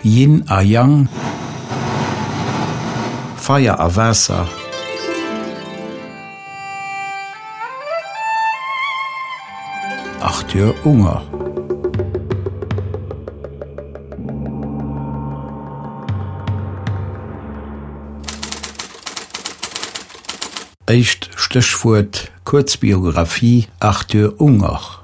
Yin a Yang, Feier a Waasser. Arthur Unger. Éischt Stéchwuert, Kuerzbiographie Arthur Unger.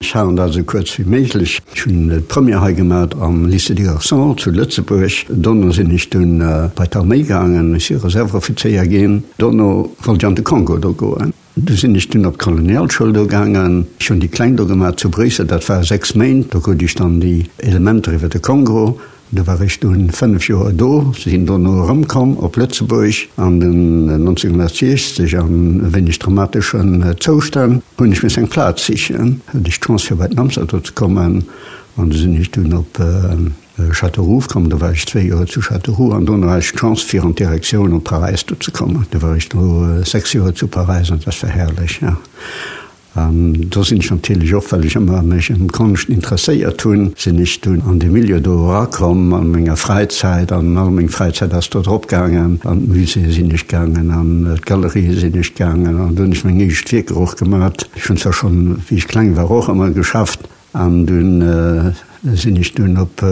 Ech halen dat esou kuerz wéi méiglech. Ech hunn d'Première hei gemat am Lycée des Garçons zu Lëtzebuerg. Dono sinn ech dunn bei d'Arméi gaangen, ech si Reserveoffizéier ginn. Dono wollt ech an de Kongo do goen. Du sinn ech dunn op d'Kolonialschoul do gaangen. Ech hunn déi Kleng do gemat zu Bréissel, dat war 6 Méint. Do krut ech dann déi Elementer iwwer de Kongo. Do war ech dunn 5 Joer do, sinn dono erëmkomm op Lëtzebuerg an den 1960 an e wéineg dramateschen Zoustänn hunn ech missen eng Plaz sichen. Hat ech d'Chance fir bei den Amtsauto do ze kommen an du sinn ech dunn op Châteauroux komm. Do war ech zwéi Joer zu Châteauroux an dono hat ech d'Chance fir an d'Direktioun op Paräis do ze kommen. Do war ech do 6 Joer zu Paräis an dat war herrlech, ja. An do sinn ech natierlech och, well ech ëmmer mech ëm Konscht interesséiert hunn, sinn ech dunn an dee Milieu do erakomm an menger Fräizäit. An all meng Fräizäit ass do drop gaangen. An d'Muséeë sinn ech gaangen, an d'Galerië sinn ech gaangen an do hunn ech meng éischt Wierker och gemat. Ech hunn zwar schonn, wéi ech kleng war, och ëmmer geschafft. An dunn sinn ech dunn op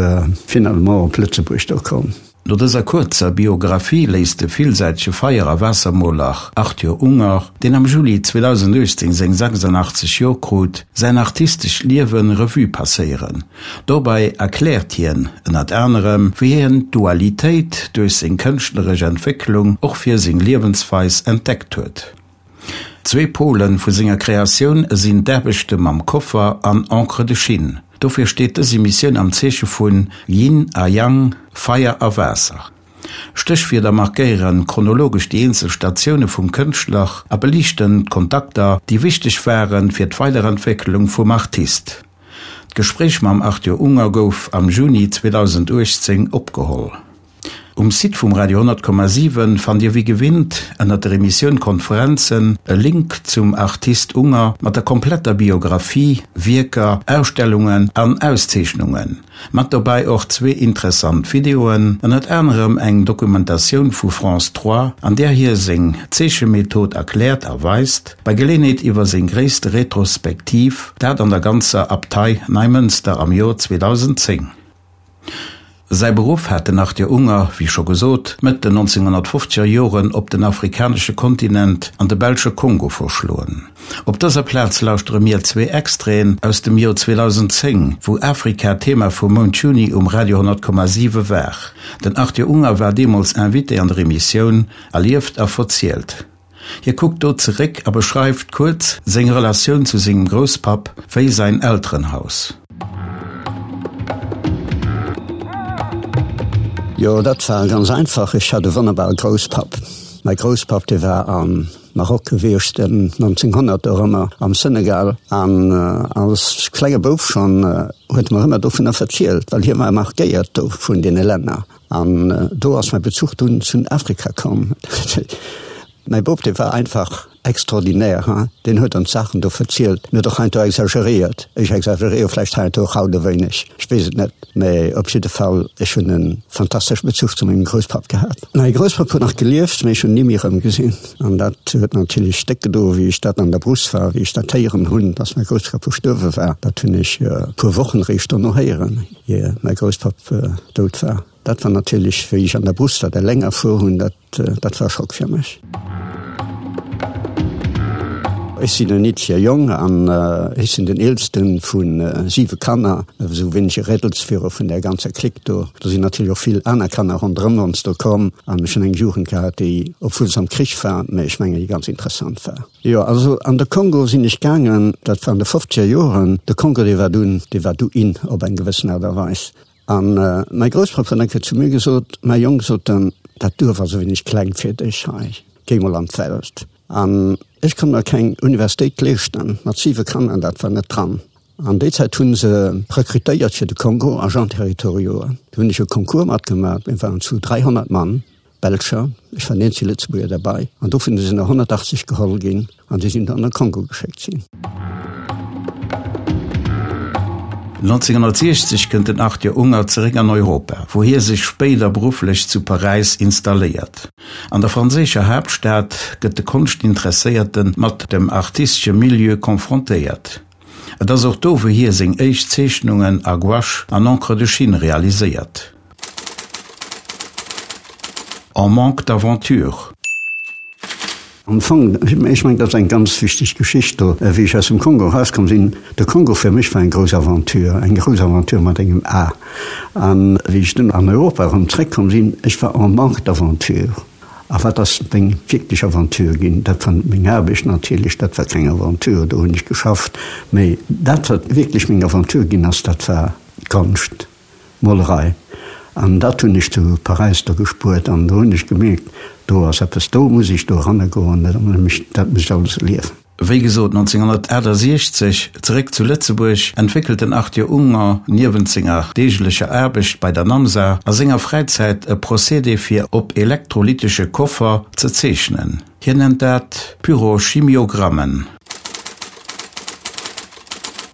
finalement op Lëtzebuerg do komm. No dëser kuerzer Biographie léisst de villsäitege Feier a Waassermoler Arthur Unger, deen am Juli 2018 seng 86 Joer krut, säin artistescht Liewe Revue passéieren. Dobäi erkläert hien ënnert anerem, wéi hien d'Dualitéit duerch seng kënschtleresch Entwécklung och fir seng Liewensweis entdeckt huet. Zwee Pole vu senger Kreatioun sinn d'Aarbechte mam Koffer an Encre de Chine. Dofir steet dës Emissioun am Zeeche vun Yin a Yang, Feier a Waasser. Stéchwierder markéiere chronologesch déi eenzel Statioune vum Kënschtler a beliichten d'Kontakter, déi wichteg ware fir d'Weiderentwécklung vum Artist. D'Gespréich mam Arthur Unger gouf am Juni 2018 opgeholl. Um Site vum Radio 10,7 fannt Dir wéi gewinnt ënnert der Emissioun Konferenzen e Link zum Artist Unger mat der kompletter Biographie, Wierker, Ausstellungen an Auszeechnungen. Mat dobäi och zwee interessant Videoen, ënnert anerem eng Dokumentatioun vu France 3, an där hie seng Zeechemethod erkläert a weist, bei Geleenheet iwwer seng gréisste Retrospektiv, dat an der ganzer Abtei Neimënster am Joer 2010. Säi Beruff hat den Arthur Unger, wéi scho gesot, Mëtt den 1950er Joren op den afrikanesche Kontinent an de belsche Kongo verschloen. Op dëser Plaz lauschtere mir zwee Extraiten aus dem Joer 2010, wou Afrika Thema vum Mount Juni um Radio 10,7 war. Den Arthur Unger war deemools Invité an der Emissioun Erlieft a verzielt. Hie kuckt do zeréck a beschreift kuerz seng Relatioun zu sengem Grousspapp wéi säin Elterenhaus. Jo, dat war ganz einfach, ech hat e wonnerbare Grousspapp. Mäi Grousspapp, dee war am Maroc gewiescht ëm 1900 dorëmmer, am Senegal. An als klenge Bouf schonn huet e mer ëmmer dovunner verzielt, well hie war markéiert do vun deene Länner. An do ass mäi Bezuch dunn zu Afrika komm. Mäi Bop, dee war einfach extraordinaire, hein. Deen huet ons Saachen do verzielt. En huet och heiansdo exageréiert. Ech exageréiere vläicht heiansdo och haut e wéineg, ech weess et net. Mä op jidde Fall, ech hunn e fantastesche Bezuch zu mengem Grousspapp gehat. Mäi Grousspapp huet nach gelieft, mä ech hunn en ni méi erëmgesinn. An dat huet natierlech déck gedo, wéi ech dat an der Brousse war, wéi ech dat héieren hunn, dass mäi Grousspapp verstuerwe war. Dat hunn ech e puer Wochen eréischt dono héieren. Ier mäi Grousspapp dout war. Dat war natierlech, wéi ech an der Brousse dat eleng erfuer hunn, dat, dat war e Schock fir mech. Ech sinn en eenzege Jong an ech sinn den eelste vu siwe Kanner, esou wéineg e Rädelsführer vun där ganzer Clique do. Do sinn natierlech och vill aner Kanner ronderëm ons do komm an ech hunn eng Jugend gehat, déi, obwuel se am Krich war, mä ech mengen, déi ganz interessant war. Jo, also an de Kongo sinn ech gaangen, dat war an de fofzeger Joren. De Kongo, dee war dunn, dee war du in op eng gewëssen Aart a Weis. An mäi Grousspapp huet eng Kéier zu mir gesot, Mäi Jong, sot en, dat Duerf ass e wéineg kleng fir dech hei, géi mol an d'Welt. An ech konnt mer keng Universitéit leeschten, mat siwe Kanner, dat war net dran. An déi Zäit hu se rekrutéiert fir de Kongo, Agents territoriaux. Do hunn ech e Concours matgemaach, mir waren zu 300 Mann. Belscher, ech war den eenzege Lëtzebuerger derbei, an dovun sinn der 180 geholl ginn an déi sinn dann an de Kongo geschéckt sinn. 1960 kënnt den Arthur Unger zeréck an Europa, wou hie sech spéider berufflech zu Paräis installéiert. An der franséischer Haaptstad gëtt de Konschtinteresséierte mat dem artistesche Milieu confrontéiert. Et ass och do, wou hie seng éischt Zeechnungen a Gouache an Encre de Chine realiséiert. En manque d'aventure. Am Fong, ech mengen, dat ass eng ganz wichteg Geschicht do, wéi ech aus dem Kongo erauskomm sinn. De Kongo fir mech war eng grouss Aventure, eng grouss Aventure mat engem A. A wéi ech dunn an Europa erëm zréckkomm sinn, ech war en manque d'aventure. A wat ass meng wierklech Aventure ginn? Dat war net meng Aarbecht natierlech, dat war keng Aventure, do hunn ech geschafft. Mee dat, wat wierklech meng Aventure ginn ass, dat war d'Konscht. Molerei. An dat hunn ech zu Paräis do gespuert an do hunn ech gemierkt, do ass eppes, do muss ech do eranne goen, dat muss ech alles erliewen. Wéi gesot, 1968, zeréck zu Lëtzebuerg, entwéckelt den Arthur Unger niewent senger deeglecher Aarbecht bei der NAMSA a senger Fräizäit e Procédé fir op elektrolytesche Koffer ze zeechnen. Hien nennt dat Pyrochimiogrammen.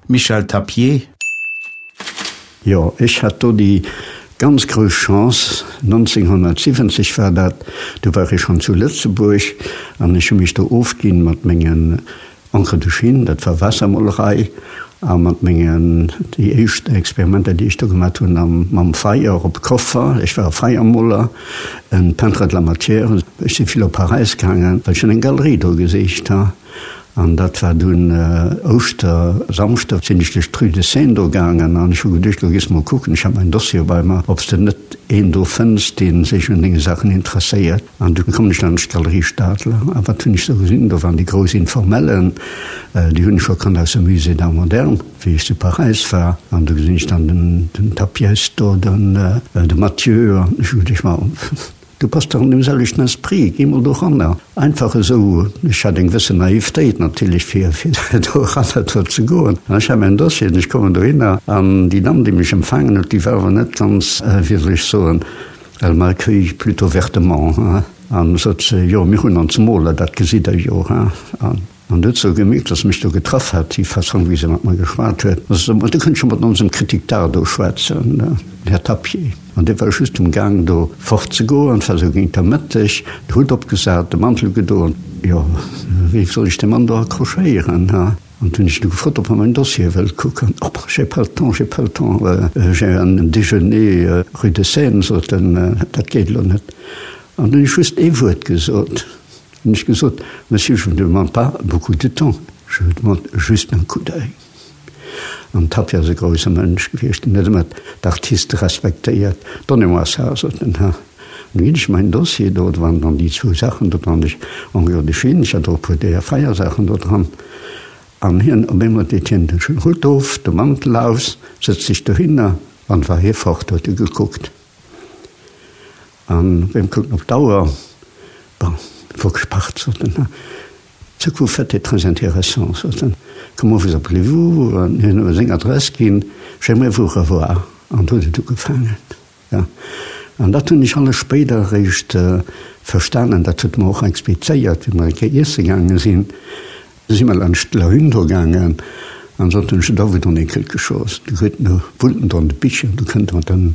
Michel Tapié. Jo, ech hat do déi ganz grouss Chance, 1970 war dat, du war ech schonn zu Lëtzebuerg an ech hu mech do ofginn mat mengen Encre de Chine, dat war Waassermolerei, a mat mengen, déi éischt Experimenter, déi ech do gemat hunn, am, mam Feier op Koffer, ech war e Feiermoler, en Peintre de la matière. Ech si vill op Paräis gaangen, well ech hunn eng Galerie do gesicht, ha. An dat war dunn Ouschtersamschdeg, sinn ech duerch d'Rue de Seine do gaangen an ech hu geduecht, lo gees de mol kucken, ech hat mäin Dossier bei mer, ob s de net een do fënns, dee sech un denge Saachen interesséiert. An du komm ech laanscht d'Galerie Stadler a wat hunn ech do gesinn? Do waren déi grouss Informellen, déi hunn ech scho kannt aus dem Musée d'Art moderne, wéi ech zu Paräis war. An do gesinn ech dann den Tapiès do, den de Mathieu an ech hu geduecht, ma Du bass dach an deem selwechten Esprit, géi mol doranner. Einfach esou, ech hat eng gewëssen Naivtéit natierlech fir do eranner do ze goen. An ech hat mäin Dossier an ech kommen dohinner an déi Damm déi mech empfaangen huet, déi war awer net ganz, wéi soll ech soen, elle m'a accueilli plutôt vertement, hein, an sot se, jo mir hunn ons Moler, dat gesitt Der jo, hein. An huet sou gemierkt, dass se mech do getraff hat, déi Fassong, wéi se mat mer geschwat huet. Da sot se, Ma du kënns scho mat onsem Critique d'art do schwätzen, den Här Tapié. An dee war just um Gaang, do fortzegoen. Et war sou géint der Mëtteg, de Hutt opgesat, de Mantel gedoen. Jo, wéi soll ech dee Mann do accrochéieren, ha? An du hunn ech e gefrot, ob e mäin Dossier wëllt kucken. Oh, j'ai pas le temps, j'ai pas le temps, j'ai un déjeuner rue de Seine, sot en, dat geet elo net. An du hunn ech just ee Wuert gesot. Hunn ech gesot, Monsieur, je vous demande pas beaucoup de temps, je vous demande juste un coup d'oeil. An Tapie ass e grousse Mënsch gewiescht, en huet ëmmer d'Artiste respektéiert. Donnez-moi ça, sot en. An du ginn ech mäin Dossier do, do waren dann déi zwou Saachen do dran, ech Henri de Chine, ech hat och e puer deeër Feiersaachen do dran. An hien, op eemol deet hien den Hutt of, de Mantel aus, sëtzt sech dohinner an war hie fort, huet e gekuckt. An wem kucken op d'Auer, bon, faut que je parte, sot en, ce que vous faites est très intéressant, sot en, comment vous appelez-vous? An hien huet mer seng Adress ginn, j'aimerais vous revoir. An do huet et ugefaangen, jo. An dat hunn ech alles spéider eréischt verstanen, dat huet e mer och explizéiert, wéi mer eng Kéier iesse gaange sinn. Du si mer laanscht d'Lahune do gaangen an soten, Je dois vous donner quelque chose. Du huet no wullten do an de Bicher, du kënnt mat en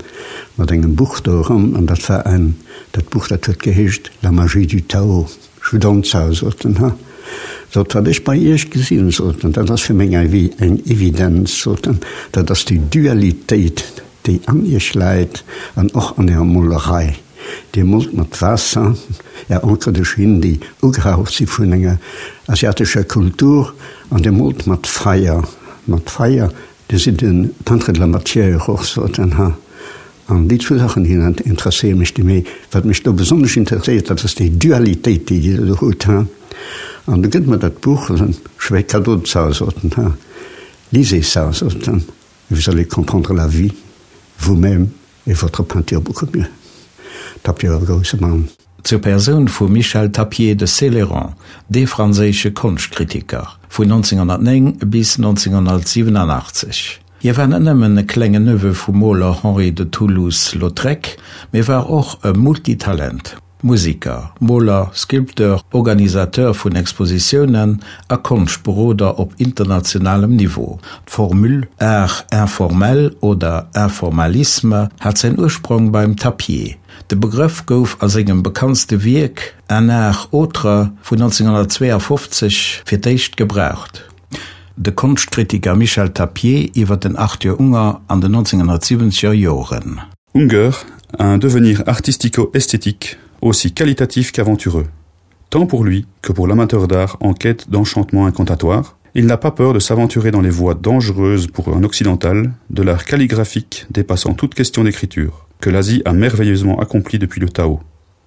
mat engem Buch do eran an dat war en, dat Buch dat huet geheescht La magie du Tao. Je vous donne ça, sot en, ha. Sot, wat ech bei Iech gesinn, sot en, dat ass fir meng ewéi eng Evidenz, sot en, dat ass déi Dualitéit, déi an Iech läit an och an Ärer Molerei. Dir moolt mat Waasser Är Encre de Chine, déi ugehaucht si vun enger asiatescher Kultur, an Dir moolt mat Feier, mat Feier. Dir sidd e Peintre de la matière och, sot en. Ha, an déi zwou Saachen, déi interesséiere mech déi méi. Wat mech do besonnesch interesséiert, dat ass déi Dualitéit, déi Dir do hutt. Ha, an du gëtt mer dat Buch, je fais cadeau de ça, sot en. Ha, lisez ça, sot en, et vous allez comprendre la vie, vous-même. Et votre peinture beaucoup mieux. Tapier war e grousse Mann. Zur Persoun vum Michel Tapié de Céleyran, dee franséische Konschtkritiker, vun 1909 bis 1987. Hie war net nëmmen e klengen Neveu vum Moler Henri de Toulouse-Lautrec, mee war och e Multitalent. Musiker, Moler, Sculpteur, Organisateur vun Expositiounen a Konschtberoder op internationalem Niveau. D'Formule Art informel oder Informalisme hat säin Ursprong beim Tapier. De Begrëff gouf a sengem bekanntste Wierk Un art autre vun 1952 fir d'éischt gebraucht. De Konschtkritiker Michel Tapier iwwer den Arthur Unger an den 1970er Joren. Unger a un devenir artistico-esthétique aussi qualitatif qu'aventureux. Tant pour lui que pour l'amateur d'art en quête d'enchantement incantatoire, il n'a pas peur de s'aventurer dans les voies dangereuses pour un occidental de l'art calligraphique dépassant toute question d'écriture, que l'Asie a merveilleusement accompli depuis le Tao,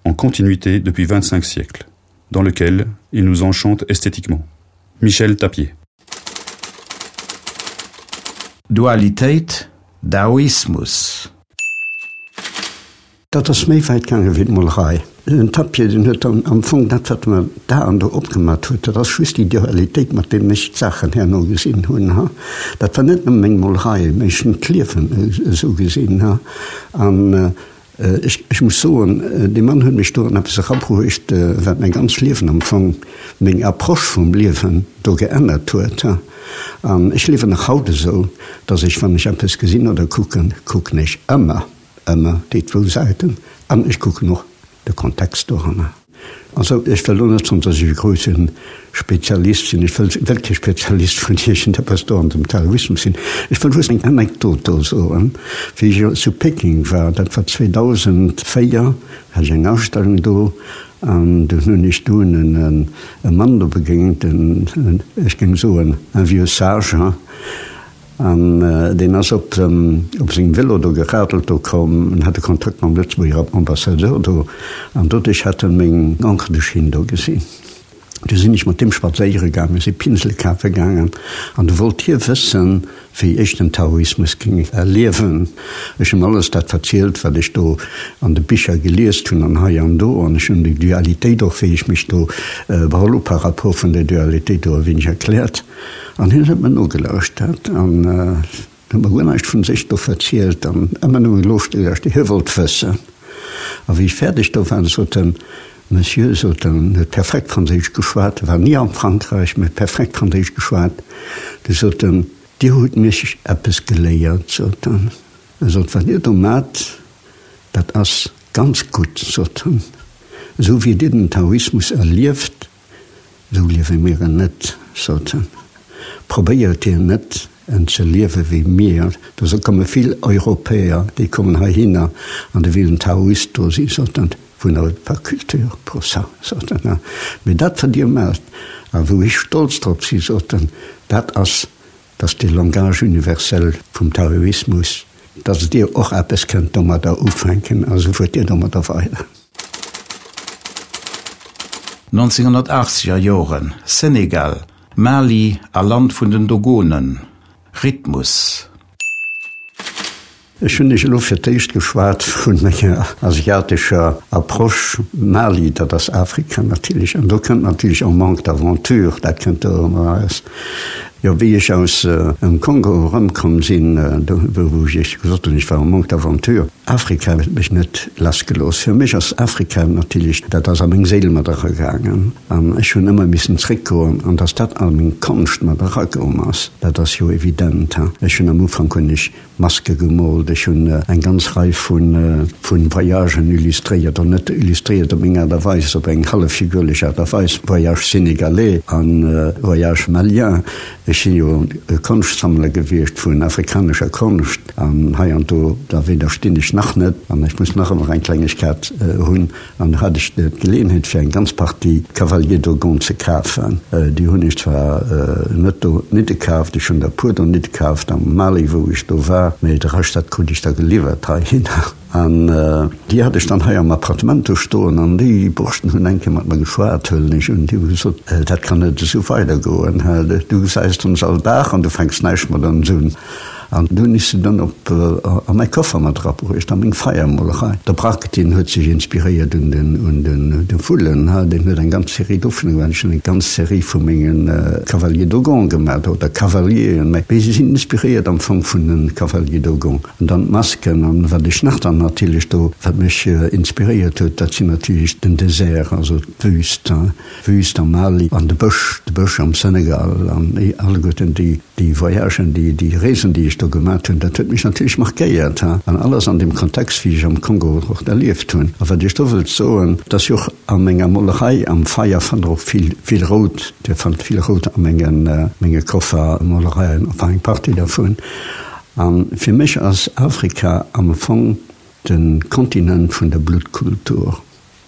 en continuité depuis 25 siècles, dans lequel il nous enchante esthétiquement. Michel Tapier. Dualitéit, Daoismus. Dat ass méi wäit gaange wéi d'Molerei. Den Tapier, deen huet dann am Fong dat, wat mer da an do opgemat huet, dat ass just déi Dualitéit, mat deem ech d'Saachen herno gesinn hunn. Dat war net nëmme meng Molerei, mä ech hunn d'Liewen esou gesinn. An ech muss soen, dee Mann huet mech do an eppes erabruecht, wat mäi ganz Liewen am Fong, meng Approche vum Liewen do geännert huet. An ech liewen nach haut esou, datt ech, wann ech eppes gesinn oder kucken, kucken ech ëmmer, Ëmmer déi zwou Säiten an ech kucken och de Kontext doranner. Also ech wëll elo net soen, datt ech e grousse Spezialist sinn, ech wëll wëll kee Spezialist vun iergendeppes do an dem Taoismus sinn. Ech wëll just eng Anekdot do soen. Wéi ech zu Peking war, dat war 2004, hat ech eng Ausstellung do an dunn hunn ech dunn e Mann do begéint, en, ech géing soen, un vieux sage, An deen ass op sengem Vélo do geradelt do komm an hat e Kontakt mam Lëtzebuerger Ambassadeur do. An doduerch hat en meng Encre de Chine do gesinn. Du sinn ech mat deem spadséiere gaangen, mir si Pinsele kafe gaangen. An du wollt hie wëssen, wéi ech den Taoismus géing erliewen. Ech hunn alles dat verzielt, wat ech do an de Bicher geliest hunn an hei an do. An ech hunn déi Dualitéit och, wéi ech mech do beholl hu par rapport vun der Dualitéit do e wéineg erkläert. An hien huet mer nogelauschtert an huet mer guer näischt vun sech do verzielt an ëmmer nëmmen loschtgelauschtert. Hie wollt wëssen. A wéi ech fäerdeg do war, sot en, Monsieur, sot en, en huet perfekt Franséisch geschwat, e war ni am Frankräich, mä huet perfekt Franséisch geschwat, du sot en, Dir hutt mech eppes geléiert, sot en. E sot, Wat Dir do maacht, dat ass ganz gutt, sot en, esou wéi Dir den Taoismus erlieft, Esou liewe mir en net, sot en. Probéiert Dir net, en ze liewe wéi mir. Do komme vill Europäer, déi kommen heihinner an déi wëllen Taoist do sinn, sot en. Vous n'avez pas culture pour ça, sot en. Mee dat, wat Dir maacht a wou ech stolz drop sinn, sot en, dat ass, dass de Langage universel vum Taoismus, dass Dir och eppes kënnt domadder ufänken a sou fuert Dir domadder weider. 1980 er Joren, Senegal, Mali a Land vun den Dogonen, Rhythmus. Ech hunn lech elo fir d'éischt geschwat vu menger asiatescher Approche. Mali, dat ass Afrika natierlech, an do kënnt natierlech en manque d'aventure, dat kënnt do erëm eraus. Jo, wéi ech aus dem Kongo erëmkomm sinn, do wou ech Iech gesot hunn, ech war en manque d'aventure, Afrika huet mech net lassgelooss. Fir mech ass Afrika natierlech, dat ass a meng Séil mat eragaangen an ech hunn ëmmer missen zréckgoen an datt dat a meng Konscht mat erakomm ass, dat ass jo evident. Ech hunn am Ufank hunn ech Maske gemoolt, ech hunn eng ganz Rei vu Voyagen illustréiert, oder net illustréiert op meng Aart a Weis, op eng hallef figürlech Aart a Weis, Voyage sénégalais a Voyage malien. Ech si jo e Konschtsammler gewiescht vun afrikanescher Konscht an hei an do, da widderstinn ech nach net an ech muss nach ëmmer eng Klengegkeet hunn. An do hat ech d'Geleeënheet fir eng ganz Partie Cavaliers Dogon ze kafen. Déi hunn ech zwar net do nidde kaaft, ech hunn der e puer do nidde kaaft am Mali wou ech do war, mee de Rescht dat krut ech da geliwwert heihinner. An déi hat ech dann hei am Appartement do stoen an déi Borschten hunn eng Kéier mat mer geschwat, huelen ech un, déi hu gesot, dat kann net esou weidergoen, du gesäis ons all Dag an du fänks näischt mat ons un. An do hunn ech se dann op a mäi Koffer mat erabruecht, a meng Feiermolerei. De Braque, deen huet sech inspiréiert un den, un den, de Vullen, ha, deen huet eng ganz Serie dovunner gemaach. Ech hunn eng ganz Serie vu menge Cavaliers Dogons gemaach, oder Cavalieren, mä si sinn inspiréiert am Fong vun de Cavaliers Dogons. An dann d'Masken, an wat ech nach dann natierlech do, wat mech inspiréiert huet, dat sinn natierlech den Désert, also d'Wüst, Wüst am Mali an de Bësch, de Bësch am Senegal an alleguerten déi, déi Voyagen, déi, déi Reesen, déi ech do gemat hunn, dat huet mech natierlech markéiert, ha. An alles an deem Kontext, wéi ech am Kongo och erlieft hunn. A wat ech do wëllt soen, et ass jo och a menger Molerei am Feier fannt Der och vill, vill Rout, Dir fannt vill Rout a mengen, menge Koffermolereien, enfin eng Partie dervun. A fir mech ass Afrika am Fong de Kontinent vun der Bluttkultur.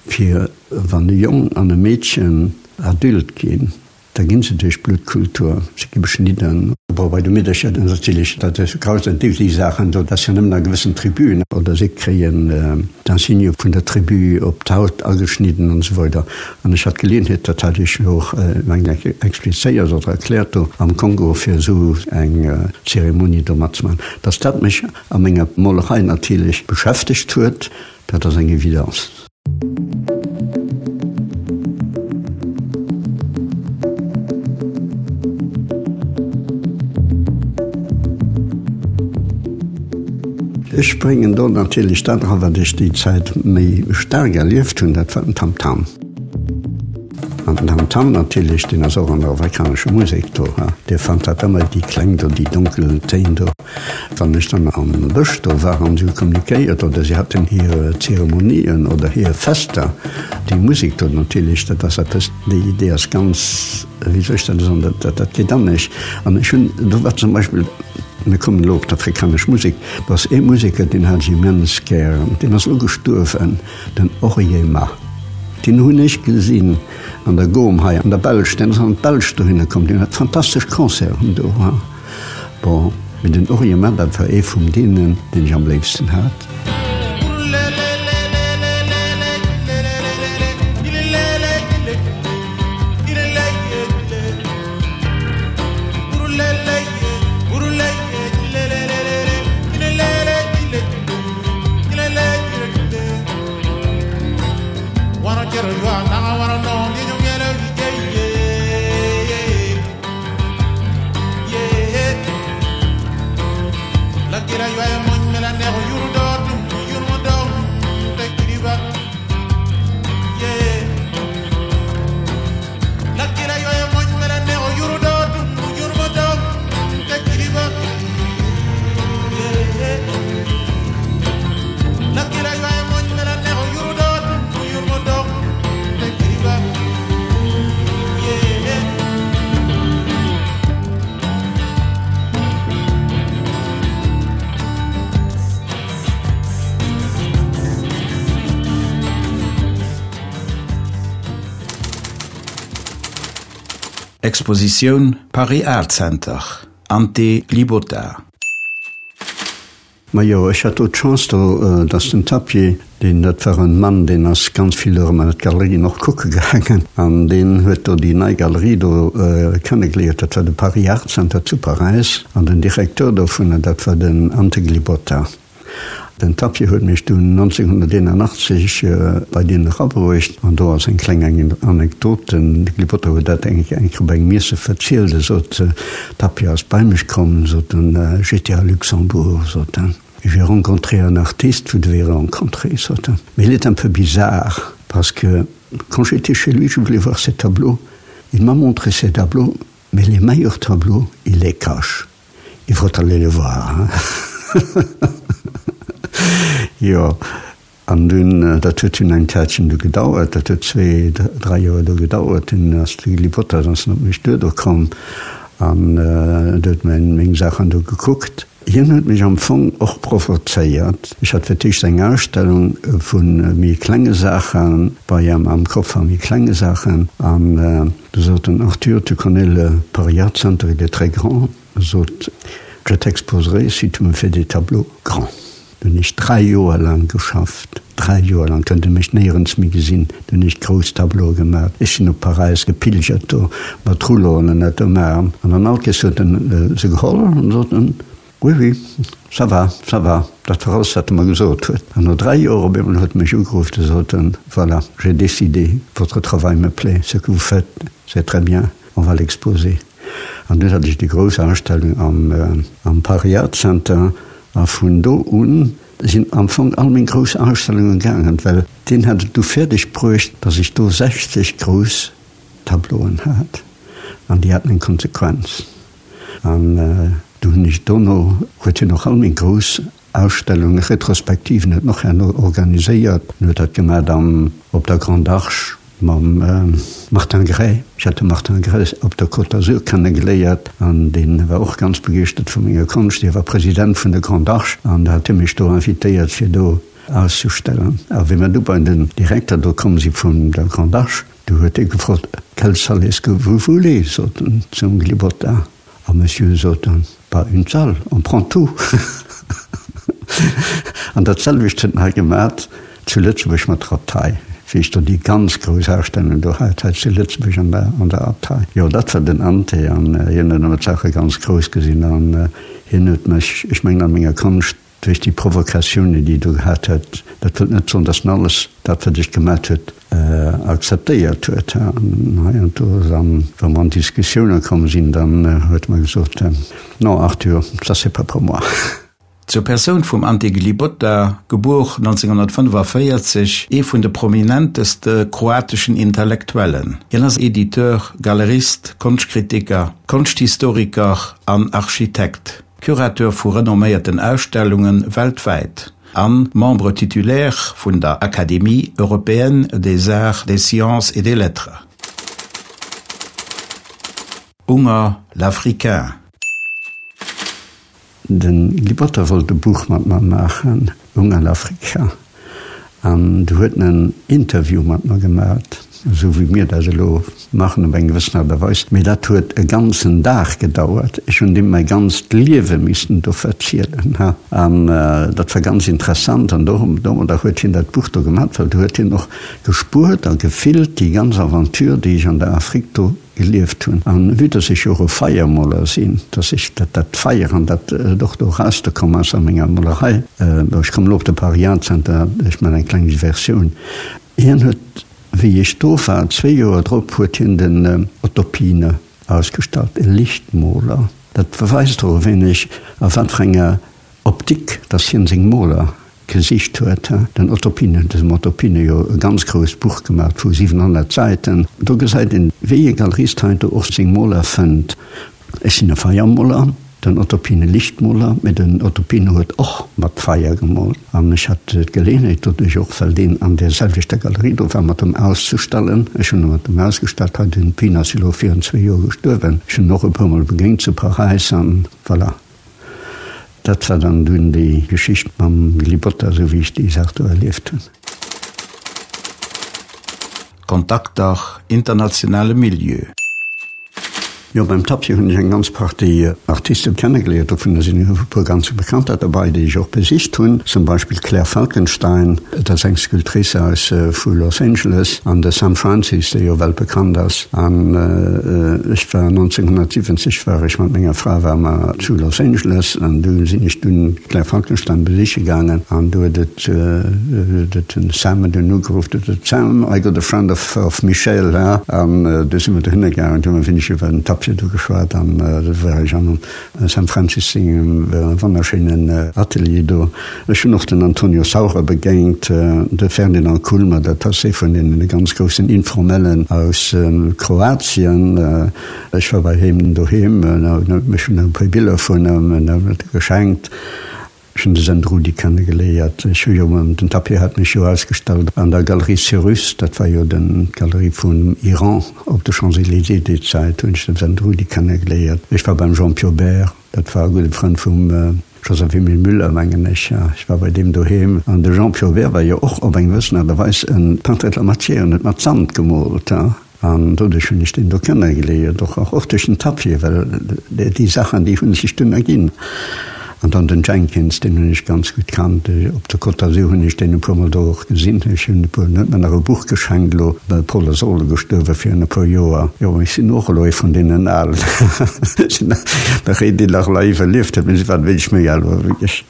Fir wann e Jong an e Meedchen Adulte ginn, da ginn se duerch d'Bluttkultur, se gi beschnidden. Bon, bei de Meedercher natierlech, dat ass grausam, déi déi Saachen do, dat ass jo nëmmen a gewëssen Tribuen, oder si kréien d'Insigne vun der Tribu op d'Haut ageschnidden an esou weider. An ech hat d'Geleeënheet, dat hat ech jo och mengen ech explizéiert oder erkläert do am Kongo, fir esou eng Zeremonie do matzemaachen, dass dat mech a menger Molerei natierlech beschäftegt huet. Dat ass eng Evidence. Ech bréngen do natierlech dat era wat ech déi Zäit méi staark erlieft hunn, dat war den Tamtam. An den Tamtam natierlech, deen ass och an der afrikanescher Musek do. Dir fannt dat ëmmer, déi Kläng do, déi donkel Téin do. Wann ech dann am Bësch do war an si hu kommunikéiert oder si haten hir Zeremonien oder hir Fester, déi Musek do natierlech, dat ass eppes, déi déi ass ganz, wéi soll ech dat soen, dat dat geet an mech. An ech hunn, do war zum Beispill, mir kommen elo op d'afrikanesch Musek, do ass ee Museker, deen hat ech immens gären, deen ass elo gestuerwen, den Oryema. Deen hunn ech gesinn an der Gom hei an der Belsch, deen ass an d'Belsch dohinner komm, deen hat fantastesch Concerten do. Bon, mee den Orient, dat war ee vum deenen, deen ech am léifsten hat. Expositioun Paris Art Center, Ante Glibota. Majo, ech hat do d'Chance do, dass den Tapie, deen, dat war en Mann, deen ass ganz vill erëm an d'Galerien och kucke gaangen, an deen huet do déi nei Galerie do kennegeléiert, dat war de Paris Art Center zu Paräis, an den Directeur dovunner, dat war den Ante Glibota. Den Tapie huet mech dunn 1981 bei deen erabruecht, an do ass eng kleng Anekdot, den Glibota huet dat eng Kéier bei engem Iesse verzielt, e sot, Tapie ass bei mech komm, sot en, j'étais à Luxembourg, sot en, et j'ai rencontré un artiste, vous devez rencontrer, sot en, mais il est un peu bizarre, parce que quand j'étais chez lui, je voulais voir ses tableaux, il m'a montré ses tableaux, mais les meilleurs tableaux, il les cache. Il faut aller le voir, hein. Jo, An dunn, dat huet dunn eng Zäitchen du gedauert, dat huet zwee, dräi Joer do gedauert, dunn ass de Gilly Potter ass op mech duer do komm an huet meng Saachen do gekuckt. Hien huet mech am Fong och provozéiert. Ech hat fir d'éischt eng Ausstellung vu méi klenge Saache bei em am Koffer, méi klenge Saachen, an du sot en, Arthur, tu connais le Paris Art Center, il est très grand, sot, je t'exposerai si tu me fais des tableaux grands. Do hunn ech 3 Joer laang geschafft, 3 Joer laang, kënnt e mech néierens méi gesinn. Do hunn ech grouss Tableaue gemaach. Ech sinn op Paräis gepilgert do mat Rouleauen an dat do maachen. An dann all Kees huet en se geholl an sot en. Oui, oui, ça va, ça va. Dat war alles, wat e mer gesot huet. An no 3 Joer op eemol huet e mech ugeruff, de sot en, Voilà, j'ai décidé, votre travail me plaît, ce que vous faites, c'est très bien, on va l'exposer. An dunn hat ech déi grouss Ausstellung am, am Paris Art Center a vun do un sinn am Fong all meng grouss Ausstellunge gaangen, well deen hat et du fäerdeg bruecht, datt ech do 60 grouss Tableauen hat an déi haten eng Konsequenz. An du hunn ech dono, huet hien och all meng grouss Ausstellungen, Retrospektiven huet en och herno organiséiert. En huet dat gemat am, op der Grande Arche mam Martin Gray. Ech hat de Martin Gray op der Côte d'Azur kennegeléiert an dee war och ganz begeeschtert vu menger Konscht. Hie war President vun der Grande Arche an da hat hie mech do invitéiert fir do auszustellen. A wéi mer du bei den Direkter do komm si vun der Grande Arche, Du huet e gefrot, Quelle salle est-ce que vous voulez? sot en zum Glibota. A Monsieur, sot en, pas une salle, on prend tout. An dat selwecht huet en hei gemat zu Lëtzebuerg mat der Abtei, wéi ech do déi ganz grouss Ausstellung do hat hei zu Lëtzebuerg an der, an der Abtei. Jo, dat war den Ante an hien huet ëmmer d'Saache ganz grouss gesinn an hien huet mech, ech mengen a menger Konscht, Duerch déi Provokatiounen, déi e do gehat huet, dat wëllt net soen, datt en alles dat, wat ech gemat huet, akzeptéiert huet. An hei an do, dann, wa mer an Diskussioune komm sinn, dann huet e mer gesot, Non, Arthur, ça c'est pas pour moi. Zur Persoun vum Ante Glibota, gebuer 1945, ee vun de prominenteste kroateschen Intellektuellen. Hien ass Editeur, Galerist, Konschtkritiker, Konschthistoriker an Architekt. Curateur vu renomméierten Ausstellunge weltwäit a Membre titulaire vun der Académie européenne des arts, des sciences et des lettres. Unger, L'Africain. De Guy wollt e Buch mat mer maachen, Unger, L'Africain. An du huet en en Interview mat mer gemat, esou wéi mir dat elo maachen op eng gewëssen Aart a Weis. Mee dat huet e ganzen Dag gedauert. Ech hunn deem mäi ganzt Liewe missen do verzielen. An dat war ganz interessant. An domadder huet hien dat Buch do gemat, well do huet hien och gespuert a gefillt déi ganz Aventure, déi ech an der Afrique do gelieft hunn. An vue dass ech jo och e Feiermoler sinn, dass ech dat dat Feier an dat et och do erauszekomm ass a menger Molerei, bon ech kommen elo op de Paris Center, ech man eng kleng Diversioun, hien huet wéi ech do war, zwee Joer drop, huet hien den Otto Piene ausgestallt, e Lichtmoler. Dat beweist och e wéineg a wat fir enger Optik, dass hien seng Moler gesicht huet. Den Otto Pine huet dem Otto Pine jo e ganz grousst Buch gemaat vu 700 Säiten. Do gesäit een, wéi e Galerist heiansdo och seng Moler fënnt. Ech sinn e Feiermoler, den Otto Pine Lichtmoler, mee den Otto Pine huet och mat Feier gemoolt. An ech hat d'Geleeënheet doduerch och, well deen an där selwechter Galerie do war, mat em auszestellen. Ech hunn e mat em ausgestallt hei. Den Pine ass elo virun zwee Joer gestuerwen. Ech hunn en och e puermol begéint zu Paräis an voilà. Dat war dann dunn déi Geschicht mam Glibotta, esou wéi ech déi Saach do erlieft hunn. Kontakter, internationale Milieu. Jo, beim Tapie hunn ech eng ganz Partie Artisten kennegeléiert. Dovunner sinn e puer ganz bekannter derbei, déi ech och besicht hunn. Zum Beispill d'Claire Falkenstein, dat ass eng Sculptrice aus vu Los Angeles, an de Sam Francis, dee jo weltbekannt ass. An ech war 1970 war ech mat menger Fra war mer zu Los Angeles an du sinn ech dunn d'Claire Falkenstein besiche gaangen an du huet et huet den Sam dunn ugeruff, du huet Sam, I got a friend of of Michel, ha? An du si mer dohinner gaangen, du hu mer wéineg iwwer den Tapie do geschwat an du war ech am Sam Francis sengem wonnerschéinen Atelier do. Ech hunn och den Antonio Saura begéint, de Ferdinand Kulmer, dat ass ee vun deene ganz groussen Informellen aus Kroatien. Ech war bei him doheem, en huet mech e puer Biller vun him geschenkt. Ech hunn de Sendrudi kennegeléiert. Ech hu jo, den Tapie hat mech jo ausgestallt an der Galerie Cyrus, dat war jo d'Galerie vum Iran op de Champs-Élysées déi Zäit, hunn ech den Sendrudi kennegeléiert. Ech war beim Jean Piaubert. Dat war e gudde Frënd vum Joseph-Emile Müller, mengen ech. Ech war bei deem doheem. An de Jean Piaubert war jo och op eng gewëssen Aart a Weis e Peintre de la matière, en huet mat Sand gemoolt. An doduerch hunn ech deen do kennegeléiert, och och duerch den Tapie, well déi Saachen, déi hu sech dunn erginn. An dann den Jenkins, deen hunn ech ganz gutt kannt. Op der Côte d'Azur hunn ech deen e puermol do och gesinn. Ech hunn e puer, en huet mer nach e Buch geschenkt elo, de Paul ass och elo gestuerwe virun e puer Joer. Jo, ech sinn och elo ee vun deenen Alen. Ech sinn nach een, deen nach elo iwwerlieft huet, mee si waren wéineg méi al elo wéi ech.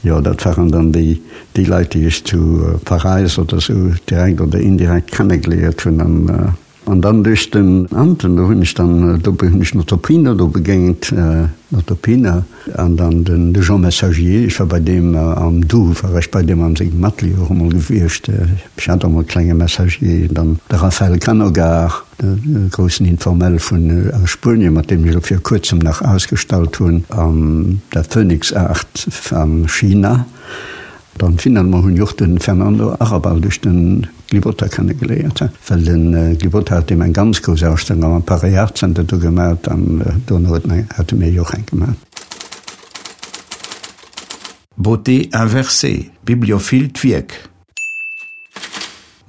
Jo, dat waren dann déi, déi Leit, déi ech zu Paräis oder sou direkt oder indirekt kennegeliert hunn. An, an dann duerch den Anten, do hunn ech dann, do hunn ech Nottopino do begéint, Nottopina, an dann den, de Jean Messagier. Ech war bei deem am Doubs, war ech bei deem an sengem Atelier och emol gewiescht. Ech hat och emol e klenge Messagier. Dann de Rafael Canogar. De groussen Informel vun aus Spuenien, mat deem ech elo vir kuerzem nach ausgestallt hunn an der Phoenix Art a China. Dann finalement hunn ech och de Fernando Arrabal duerch de Glibota kennegeléiert, well de Glibota hat deem eng ganz grouss Ausstellung am Paris Art Center do gemat an dono hate mir jo och eng gemat. Beauté inversée, Bibliophile d'Wierk.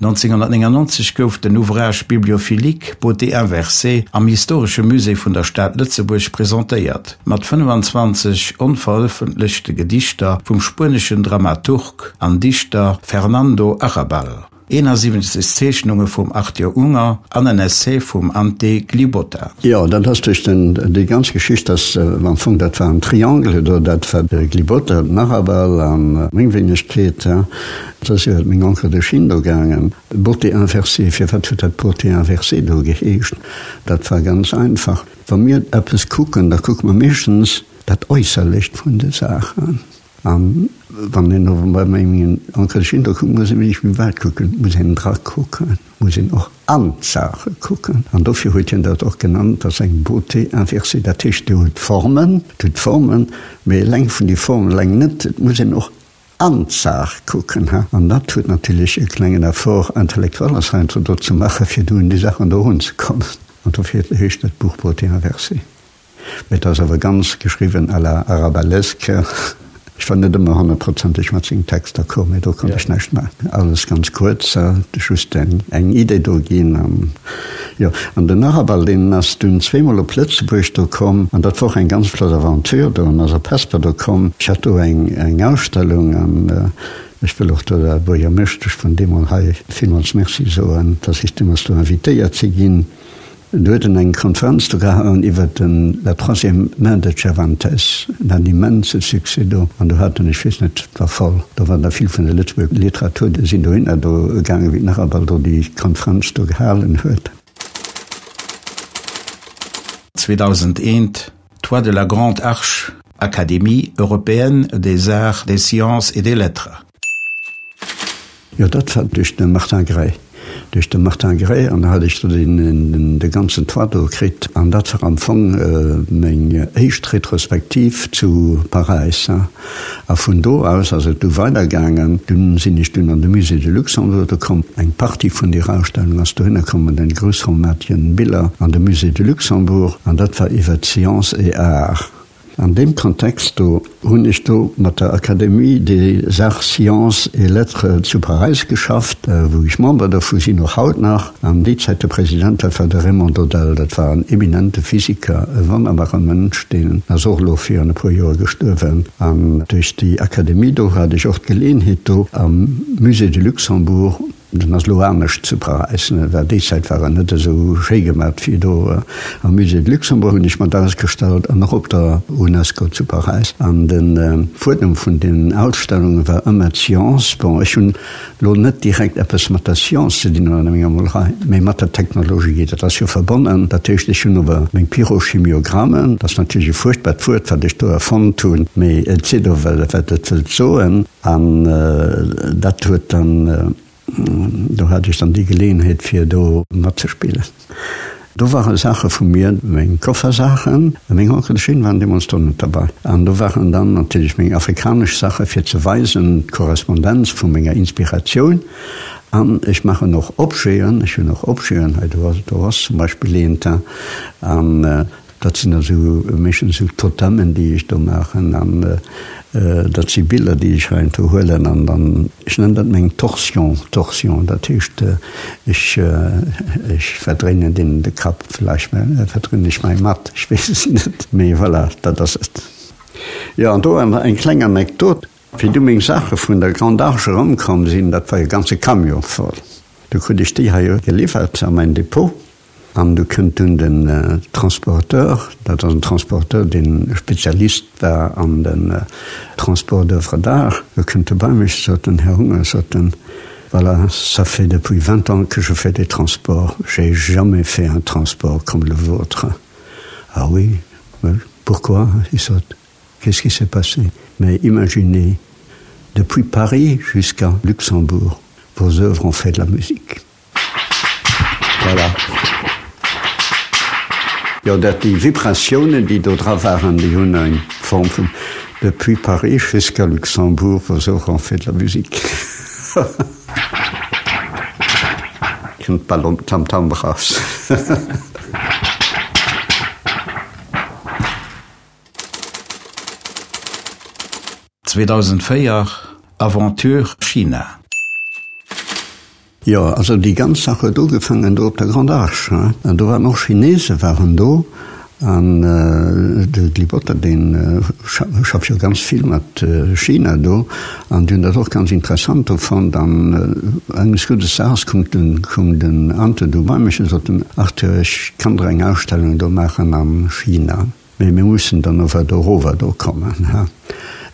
1999 gouf den Ouvrage bibliophilique Beauté inversée am Historesche Musée vun der Stad Lëtzebuerg presentéiert, mat 25 onverëffentlechte Gedichter vum spueneschen Dramaturg an Dichter Fernando Arrabal, 71 Zeechnunge vum Arthur Unger an en Essai vum Ante Glibota. Jo, dat ass duerch den, déi ganz Geschicht ass am Fong, dat war en Triangle do, dat war de Glibota, den Arrabal a meng Wéinegkeet. Et ass iwwert meng Encre de Chine do gaangen. Beauté inversée, firwat huet dat Beauté inversée do geheescht? Dat war ganz einfach, Wa mir eppes kucken, da kucke mer meeschtens dat Äusserlecht vun de Saachen. A wann een ower bei mengen Encre de Chine do kuckt, muss een wéineg méi wäit kucken, muss een drakucken, muss een och an d'Saache kucken. An dofir huet hien dat och genannt, dat ass eng Beauté inversée. Dat heescht, Dir hutt Formen, Dir hutt Formen, mee eleng vun déi Formen eleng net, et muss een och An d'Saach kucken, ha. An dat huet natierlech e klengen Effort intellectuel ass heiansdo do ze maachen, fir do un déi Saachen do erunzekommen. An dofir heescht dat Buch Beauté inversée. Mee et ass awer ganz geschriwwen à la arabalesque. Ech war net ëmmer honnertprozenteg mat sengem Text d'accord, mee do konnt ech näischt maachen. Alles ganz kuerz, just eng Idee do ginn an Jo, an den Arrabal, deen ass dunn zweemol op Lëtzebuerg do komm, an dat war och eng ganz flott Aventure do. En ass op Hesper do komm. Ech hat do eng, eng Ausstellung, an ech wëll och do der Buergermeeschtesch vun deemol hei villmools Merci soen, dass ech deemools do invitéiert si ginn. Do huet en eng Konferenz do gehalen iwwert den La troisième main de Cervantes, en hat immense Succès do, an do hat en, ech weess net, war voll, do waren der vill vun der Lëtzebuerger Literatur, déi sinn dohinner do gaangen, wéi den Arrabal do déi Konferenz do gehalen huet. 2001, Toit de la Grande Arche, Académie européenne des arts, des sciences et des lettres. Jo, dat war duerch de Martin Gray. Duerch de Martin Gray, an da hat ech do deen, de ganzen Toit do kritt. An dat war am Fong meng éischt Retrospektiv zu Paräis. A vun do aus ass et du weidergaangen. Dunn sinn ech dunn an de Musée de Luxembourg do komm. Eng Partie vun deer Ausstellung ass dohinner komm, an den groussformatigen Biller an de Musée de Luxembourg. An dat war iwwert Sciences et Arts. An deem Kontext do hunn ech do mat der Académie des Arts, Sciences et Lettres zu Paräis geschafft, wou ech Member dovu sinn, och haut nach. An déi Zäit de President, dat war de Raymond Dodel, dat war en eminente Physiker, e wonnerbare Mënsch, deen ass och elo virun e puer Joer gestuerwen. An duerch déi Académie do hat ech och d'Geleeënheet do am Musée du Luxembourg, Den ass lo anescht zu Paräis, well déi Zäit war en net esou schéi gemat wéi do. Am Musée de Luxembourg hunn ech mat ausgestallt an och op der Unesco zu Paräis. An de Fuedem vun den Ausstellunge war ëmmer d'Science. Bon, ech hunn lo net direkt eppes mat der Science ze dinn an menger Molerei, mee mat der Technologie. Dat ass jo verbonnen. Dat heescht, ech hunn ower meng Pyrochimiogrammen, dat ass natierlech e fuerchtbart Wuert, wat ech do erfonnt hunn, mee et seet ower, wat et wëllt soen. An dat huet dann, do hat ech dann déi Geleeënheet fir do matzespillen. Do ware Saache vu mir, meng Koffersaachen, meng Onkelchen waren deemools do net derbei. An do waren dann natierlech meng afrikanesch Saache fir ze weisen, d'Korrespondenz vu menger Inspiratioun. An ech maachen och Objeten, ech hunn och Objeten, hei do ass, do ass zum Beispill eent. An Dat sinn esou meeschtens esou Totemen, déi ech do maachen an dat si Biller, déi ech heiansdo huelen an dann, ech nennen dat meng Torsion, Torsion, dat heescht ech ech verdréinen deenen de Kapp, vläicht verdréinen ech mäi mat, ech weess et net, mee voilà, dat ass et. Jo, an do eng kleng Anekdot, Wéi du meng Saache vun der Grande Arche erëmkomm sinn, dat war e ganze Camion voll, du krut ech déi hei geliwwert a mäin Depot. An du kënnt dunn den Transporteur, dat ass en Transporteur, deen Spezialist war an den Transport d'oeuvres d'art, do kënnt e bei mech, sot den, Här Unger, sot en, voilà, ça fait depuis 20 ans que je fais des transports, j'ai jamais fait un transport comme le vôtre. Ah oui, pourquoi? Ech sot, Qu'est-ce qui s'est passé? Mais imaginez, depuis Paris jusqu'à Luxembourg, vos œuvres ont fait de la musique. Voilà. Jo, dat déi Vibratiounen, déi do dra waren, déi hunn eng Form vun Depuis Paris jusqu'à Luxembourg, vos œuvres ont fait de la musique. Kënnt bal um Tamtam eraus. 2004, Aventure China. Jo, also déi ganz Saach huet ugefaangen do op der Grande Arche, hein. An do waren och Chinese waren do an de Glibotta dee schafft jo ganz vill mat China do an déi hunn dat och ganz interessant do fonnt. An enges guddes Daags koum den, koum den Ante do bei mech an sot den, Arthur, ech kann der eng Ausstellung do maachen a China. Mee mir mussen dann ower dorower do kommen.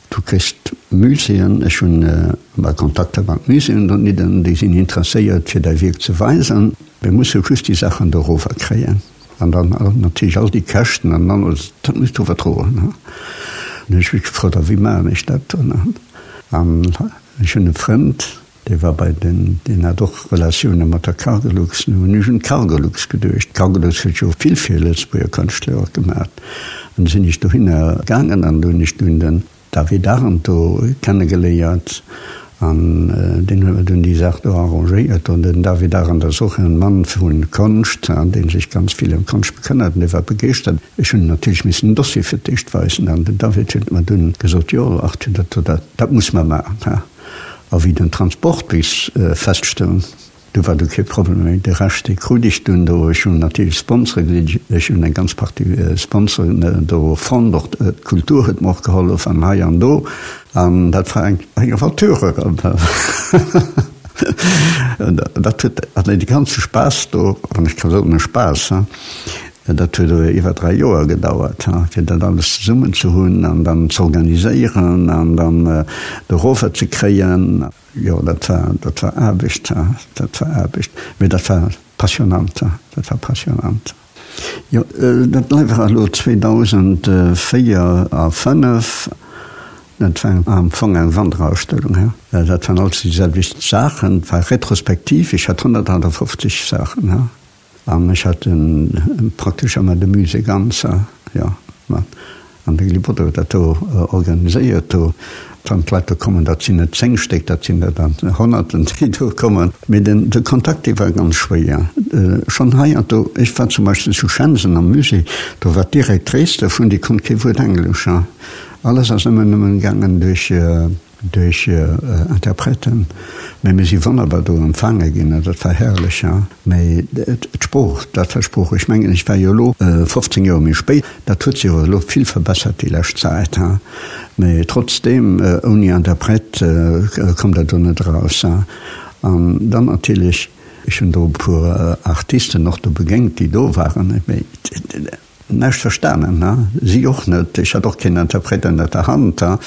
Du kriss d'Muséeën, ech hunn emmer Kontakter mat Muséeën donidden, déi sinn interesséiert fir däi Wierk ze weisen. Mir musse just déi Saachen dorower kréien an dann natierlech all déi Käschten an alles, dat muss du ower droen. An hunn ech mech gefrot, a wéi maachen ech dat dann? An ech hunn e Frënd, Dee war bei den, deen hat och Relatioune mat der Cargolux. Nu hunn ech un d'Cargolux geduecht. D'Cargolux huet jo vill fir Lëtzebuerger Kënschtler och gemaat. An du sinn ech dohinner gaangen an do hunn ech dunn den David Arendt do kennegeléiert an deen huet mer dunn déi Saach do arrangéiert. An den David Arendt ass och en Mann vu Konscht, dee sech ganz vill ëm Konscht bekënnert an dee war begeeschtert. Ech hunn natierlech missen den Dossier fir d'éischt weisen an den David huet mer dunn gesot, Jo Arthur, dat, dat muss mer maachen. A wéi den Transport bis feststoung, du war du kee Problem méi. De Rescht, dee krut ech dunn do. Ech hunn natierlech Sponsore gesicht. Ech hunn eng ganz Partie Sponsoren do fonnt. Och d'Kultur huet mer och gehollef an hei an do. An dat war eng Aventure erëm. Dat huet, an dee ganze Spaass do, wann ech ka soen, e Spaass, Dat huet awer iwwer 3 Joer gedauert, fir dat alles zesummen ze hunn an dann z'organiséieren an dann dorower ze kréien. Jo, dat war, dat war Aarbecht, dat war Aarbecht, mee dat war passionnant, dat war passionnant. Jo, dat war elo 2004 a 5, dat war am Fong eng Wanderausstellung. Dat waren alles déi selwecht Saachen, et war retrospektiv, ech hat 158 Saachen. An ech hat praktesch ëmmer de Musée ganz, jo, an de Gilles Botter huet dat do organiséiert do. Wann d'Leit do kommen, dat sinn net 10 Stéck, dat sinn der dann Honnerten, déi do kommen. Mee den, de Kontakt, dee war ganz schwéier. Schonn hei an do, ech war zum Beispill zu Shenzhen am Musée, do war d'Directrice dovun, déi konnt kee Wuert Englesch. Alles ass ëmmer nëmmen gaangen duerch. Duerch Interpreten, mee mir si wonnerbar do empfaange ginn an dat war herrlech. Mee d'Sprooch, dat war d'Sprooch. Ech mengen, ech war jo elo 15 Joer méi spéit, dat huet sech awer elo vill verbessert déi lescht Zäit, mee trotzdeem, ouni Interpret kommt Der do net eraus. An dann natierlech, ech hunn do e puer Artisten och do begéint, déi do waren, mee Näischt verstanen, ha? Si och net. Ech hat och keen Interpret ënnert der Hand, ha?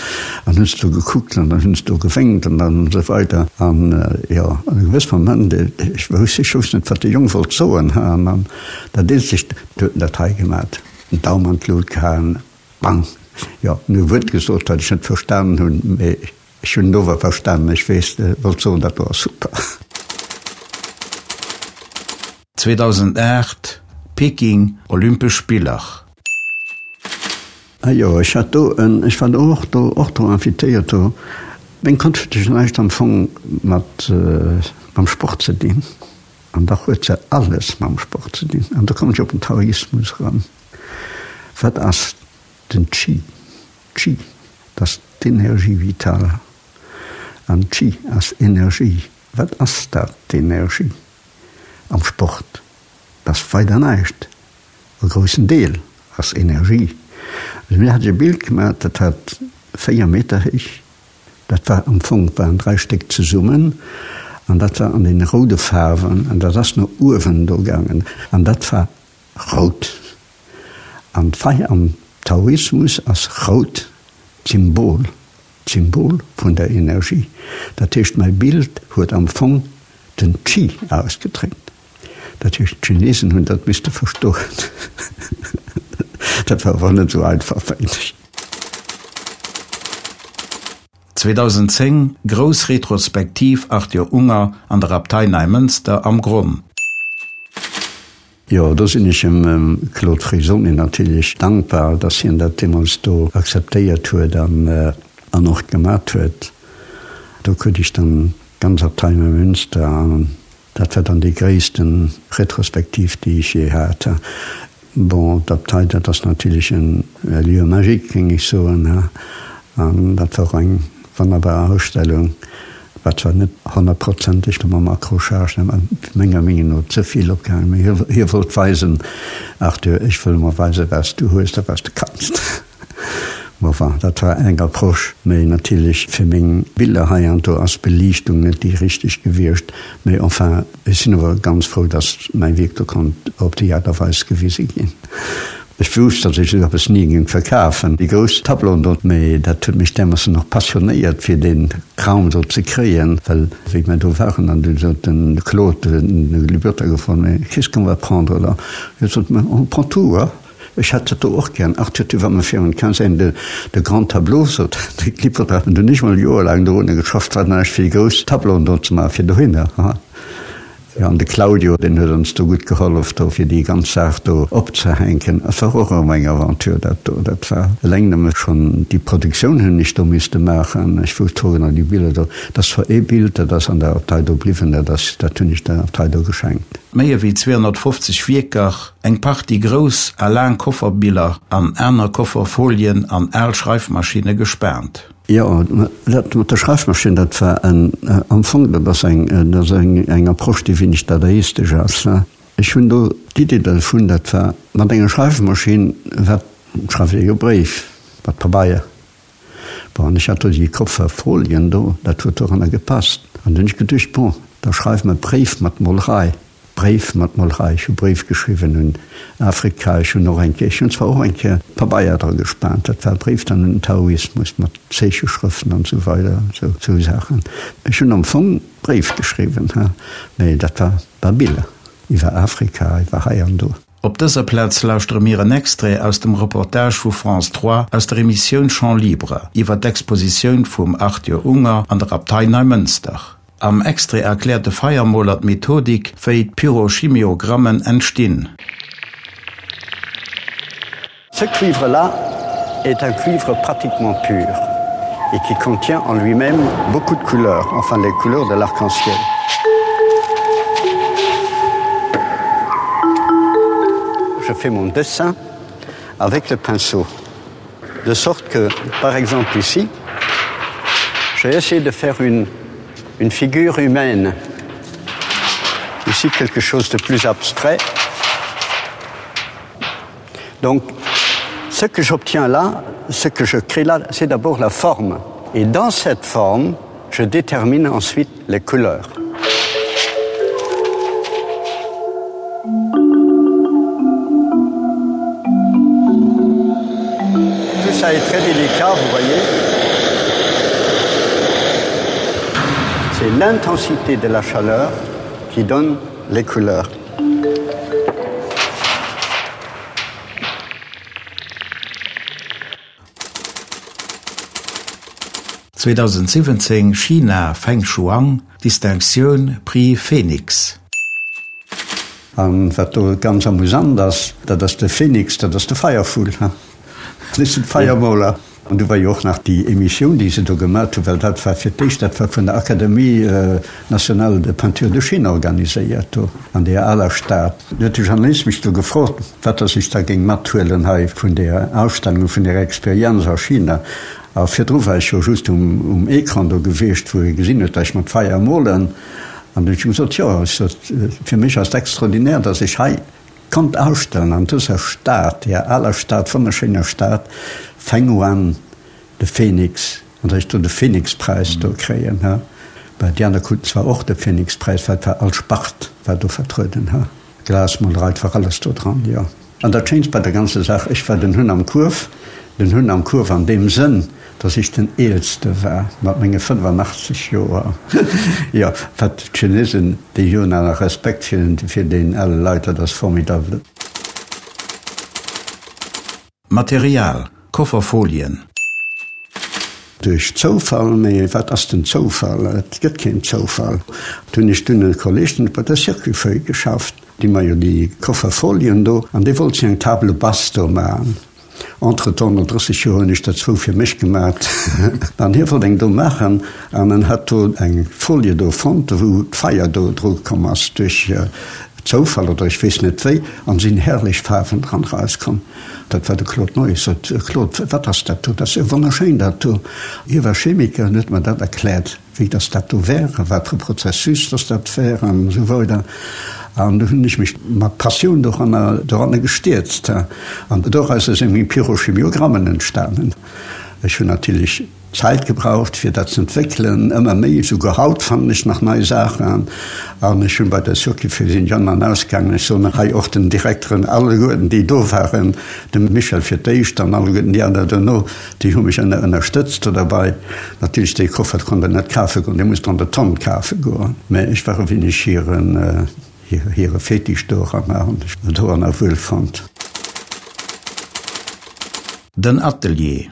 An hunn se do gekuckt an dann hunn se do gewénkt an dann esou weider. An, jo, an e gewësse Moment, ech wousst, ech wousst net, wat de Jong wollt soen, ha? An dann dat eenzegt, du huet en dat hei gemat, den Daum an d'Lut gehaen, bang! Jo, en huet e Wuert gesot, wat ech net verstanen hunn, mee Ech hunn et ower verstanen, ech weess, wollt soen, dat do ass super. 2008, Peking, Olympesch Spiller. Ah jo, ech hat do en, ech war do och do, och do invitéiert do. Meng Konscht huet jo näischt am Fong mat mam Sport ze dinn, an dach huet se alles mam Sport ze dinn. An do kommen ech op den Taoismus erëm. Wat ass den Qi? Qi, dat ass d'Energie vitale. An Qi ass Energie. Wat ass dat, d'Energie am Sport? Dat ass weider näischt. E groussen Deel ass Energie. Also mir hat ech e Bild gemaach, dat hat 4 Meter héich, dat war am Fong waren 3 Stéck zesummen an dat war an deene roude Faarwen an dat ass no uewen do gaangen an dat war rout. An d'Feier am Taoismus ass rout, d'Symbol, d'Symbol vun der Energie. Dat heescht, mäi Bild huet am Fong den Qi ausgedréckt. Dat heescht, d'Chinesen hunn dat misste verstoen. Dat war awer net esou einfach, mengen ech. 2010, Grouss Retrospektiv Arthur Unger an der Abtei Neimënster am Gronn. Jo, do sinn ech dem Claude Frisoni natierlech dankbar, dass hien dat deemools do akzeptéiert huet an och gemat huet. Do krut ech dann d'ganz Abtei Neumünster an dat war dann déi gréissten Retrospektiv, déi ech jee hat. Bon, d'Abtei, dat ass natierlech en Lieu magique, géing ech soen, an dat war och eng wonnerbar Ausstellung. War zwar net honnertprozenteg do mam Accrochage, mä menger Meenung no ze vill opgehaangen, mee hie wollt weisen, Arthur, ech wëll emol weisen, wat s du hues a wat s du kanns. Bon, enfin, dat war eng Approche, mee natierlech fir meng Biller hei an do ass d'Beliichtung net déi richteg gewiescht. Mee enfin, ech sinn awer ganz frou, dass mäi Wierk do konnt op déi Aart a Weis gewise ginn. Ech wousst, datt ech esou eppes ni géing verkafen, déi grouss Tableauen do, mee dat huet mech därmoossen och passionéiert, fir dee Kram do ze kréien, well wéi mer do waren an du sot den Claude, den Liberter gefrot, mais qu'est-ce qu'on va prendre là? Hie sot, mais on prend tout, hein? Ech hätt dat do och gären. Arthur, tu vas me faire une quinzaine de de grands tableaux, sot de Liberter. An dunn hu ech mol joerlaang dorunner geschafft, wat nach fir déi grouss Tableauen do ze maachen, fir dohinner, hein? Jo, an de Claudio, deen huet ons do gutt gehollef do, fir déi ganz Saach do opzehänken. Et war och erëm eng Aventure, dat do. Dat war eleng nëmme schonn déi Produktioun hunn ech do misste maachen. Ech wousst zwar genau déi Biller do, dat ass zwar ee Bild, dat ass an der Abtei do bliwwen, dat ass, dat hunn ech der Abtei do geschenkt. Méi ewéi 250 Wierker, eng Partie grouss a laang Kofferbiller an aner Kofferfolien an al Schreifmaschinne gespaant. Jo, dat mat der Schreifmaschinn, dat war en, am Fong, dat ass eng, dat ass eng, eng Approche, déi wéineg dadaistesch ass. Ech hunn do d'Iddi dervun, dat war mat enger Schreifmaschinn, wat schreift ee jo Bréif, mat Pabeier. Bon, an ech hat do déi Kofferfolien do, dat huet doranner gepasst. An du hunn ech geduecht, bon, da schreiwe mer Bréif mat Molerei. Bréif mat Molerei. Ech hu Bréif geschriwwen un Afrika. Ech hunn och eng Kéier, ech hunn zwar och eng Kéier Pabeier dra gespaant, dat war Bréif dann un den Taoismus mat Zeecheschrëften an esou weider, esou esou Saachen. Ech hunn am Fong Bréif geschriwwen, ha, mee dat war war Biller iwwer Afrika, iwwer hei an do. Op dëser Plaz lauschtere mir en Extrait aus dem Reportage vu France 3 aus der Emissioun Champ Libre iwwer d'Expositioun vum Arthur Unger an der Abtei Neimënster. Am Extrait erkläert de Feiermoler d'Methodik, wéi d'Pyrochimiogrammen entstinn. Ce cuivre-là est un cuivre pratiquement pur et qui contient en lui-même beaucoup de couleurs, enfin les couleurs de l'arc-en-ciel. Je fais mon dessin avec le pinceau, de sorte que, par exemple ici, j'ai essayé de faire une, une figure humaine. Ici quelque chose de plus abstrait. Donc ce que j'obtiens là, ce que je crée là, c'est d'abord la forme. Et dans cette forme, je détermine ensuite les couleurs. Tout ça est très délicat, vous voyez. C'est l'intensité de la chaleur qui donne les couleurs. 2017 China, Feng Shuang, Distinctioun Prix Phoenix. An wat do ganz amusant ass, dat ass de Phoenix, dat ass de Feiervull, dat ass den Feiermoler. An du war jo och nach déi Emissioun, déi se do gemat hunn, well dat war fir d'éischt, dat war vun der Académie nationale de peinture de Chine organiséiert do an deeër aler Stad. Du huet de Journalist mech do gefrot, wat dass ech da géing mathuelen hei vun deeër Ausstellung, vun deeër Experienz a China. A virdru war ech jo just um um Ecran do gewiescht, wou ee gesinn huet, dass ech mat Feier molen. An du hunn ech gesot, jo, ech sot, fir mech ass et extraordinaire, dass ech hei. konnt ausstellen an dëser Stad, deer aler Stad, wonnerschéiner Stad, Fenghuang, de Phoenix, an datt ech do de Phoenix-Präis do kréien, ha. Bah, déi aner kruten zwar och de Phoenix-Präis, well et war all Spart war do vertrueden, ha. Glasmolerei, et war alles do dran, jo. An dat Schéinst bei der ganzer Saach, ech war den Hunn am Kuerf, den Hunn am Kuerf an deem Sënn, datt ech den Eelste war, mat menge 85 Joer. Jo, wat d'Chinesen, déi hunn awer Respekt fir deen ale Leit, dat ass formidable. Material, Kofferfolien. Duerch Zoufall, mee wat ass den Zoufall? Et gëtt keen Zoufall. Do hunn ech dunn e Kolleg, deen huet bei der Circuit-Feuille geschafft, déi man jo déi Kofferfolien do, an dee wollt sech eng Table basse do maachen. Entretemps, no 30 Joer, hunn ech der zwou fir mech gemat. An hie wollt eng do maachen an en hat do eng Folie do fonnt, wou d'Feier do dru komm ass duerch Zoufall oder ech weess net wéi, an sinn herrlech Faarwen dran rauskomm. Dat war de Claude Neu. Ech sot, Claude, wat ass dat do? Dat ass jo wonnerschéin, dat do. Hie war Chemiker an huet mer dat erkläert, wéi dass dat do wär a wat fir e Prozessus dass dat wär an esou weider. An du hunn ech mech mat Passioun doranner, doranner gestierzt. An dorausser si meng Pyrochemiogrammen entstanen. Ech hunn natierlech Zäit gebraucht fir dat z'entwéckelen, ëmmer méi, souguer haut fannen ech nach nei Saachen an ech hunn bei der Circuit sinn ech an an ausgaangen. Ech soen hei och den Direkteren alleguerten déi do waren, dem Michel fir d'éischt an alleguerten déi aner dono, déi hu mech ënner ënnerstëtzt do derbei. Natierlech dee Koffer konnt der net kafe goen, dee musst der an der Tonn kafe goen, mä ech war e wéineg hiren hire Fetisch doranner an ech doranner wuel fonnt. Den Atelier.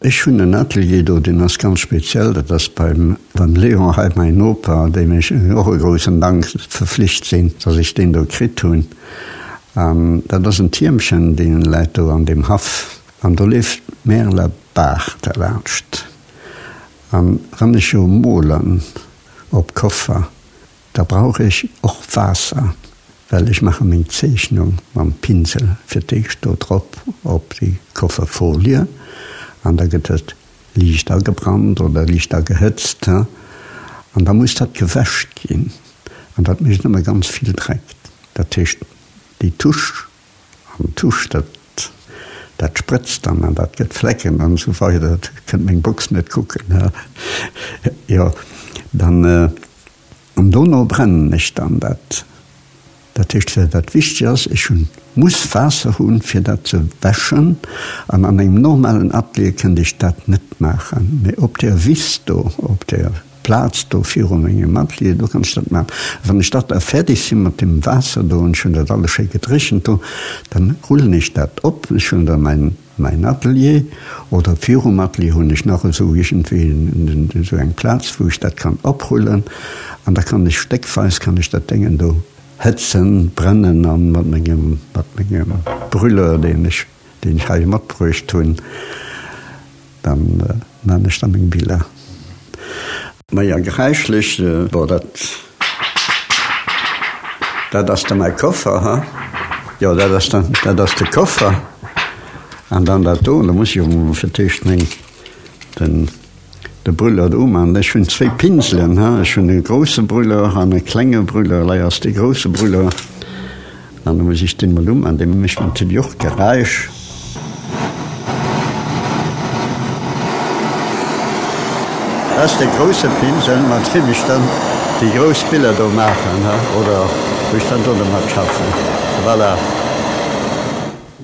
Ech hunn en Atelier do, deen ass ganz speziell. Dat ass beim beim Léon hei, mäin Noper, deem ech och e groussen Dank verflicht sinn, dass ech deen do kritt hunn. An dat ass en Tiermchen, dee läit do an deem Haff. An do leeft d'Märeler Baach derlaanscht. An wann ech jo molen op Koffer, Da brauch ech och Waasser, well ech maache meng Zeechnung mam Pinsel fir d'éischt do drop op déi Kofferfolie an da gëtt et liicht agebrannt oder liicht agehëtzt an da muss dat gewäsch ginn an dat mécht ëmmer ganz vill Dreck. Dat heescht déi Tusch An d'Tusch, dat, dat sprëtzt dann an dat gëtt Flecken an esou weider. Dat kënnt meng Box net kucken, ha. Jo, dann, an dono brennen ech dann dat. Dat heescht, well wat wichteg ass, ech hunn, muss Waasser hunn, fir dat ze wäschen. An an engem normalen Atelier kënnt ech dat net maachen. Mee op där Wiss do, op där Plaz do viru mengem Atelier, do kann ech dat maachen. A wann ech dat da fäerdeg sinn mat deem Waasser do, an ech hunn dat alles schéi gedréchent do, dann rullen ech dat op. Ech hunn da mäin, mäin Atelier, oder virum Atelier hunn ech nach esou iergendwéi esou eng Plaz, wou ech dat kann oprullen. An da kann ech stéckweis kann ech dat Déngen do hëtzen, brennen an mat mengem, mat mengem Brûleur, deen ech, deen ech hei matbruecht hunn, Dann maan ech da meng Biller. Maja geräischlech, bon dat dat ass da mäi Koffer, ha? Jo dat ass dann dat ass de Koffer an dann dat do, da muss ech jo mol fir d'éischt meng den de Brûleur do umaan. Ech hunn zwéi Pinselen, ha, ech hunn e grousse Brûleur an e klenge Brûleur, lei ass dee grousse Brûleur. An da muss ech deen mol uman, dee mécht natierlech och Geräisch. Dat ass dee grousse Pinsel, mat deem ech dann déi grouss Biller do maachen, oder wou ech dann do domat schaffen. Voilà.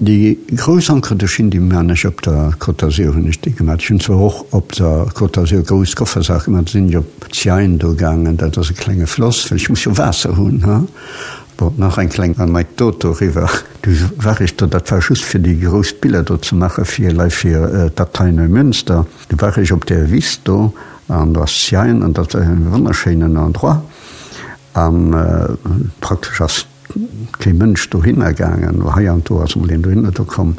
Déi grouss Encre de Chine, déi man ech op der Côte d'Azur, hunn ech déi gemaach. Ech hunn zwar och op der Côte d'Azur grouss Koffersaache gemaach, da sinn ech op d'Seine do gaangen, dat ass e klenge Floss, well ech muss jo Waasser hunn. Bon, nach eng kleng Anekdot doriwwer, Du war ech do, dat war just fir déi grouss Biller do ze maache fir lei fir d'Abtei Neumünster, du war ech op där Wiss do an do ass d'Seine an dat war e wonnerschéinen Endroit an praktesch ass kee Mënsch dohinner gaangen, hei an do ass emol een dohinner do komm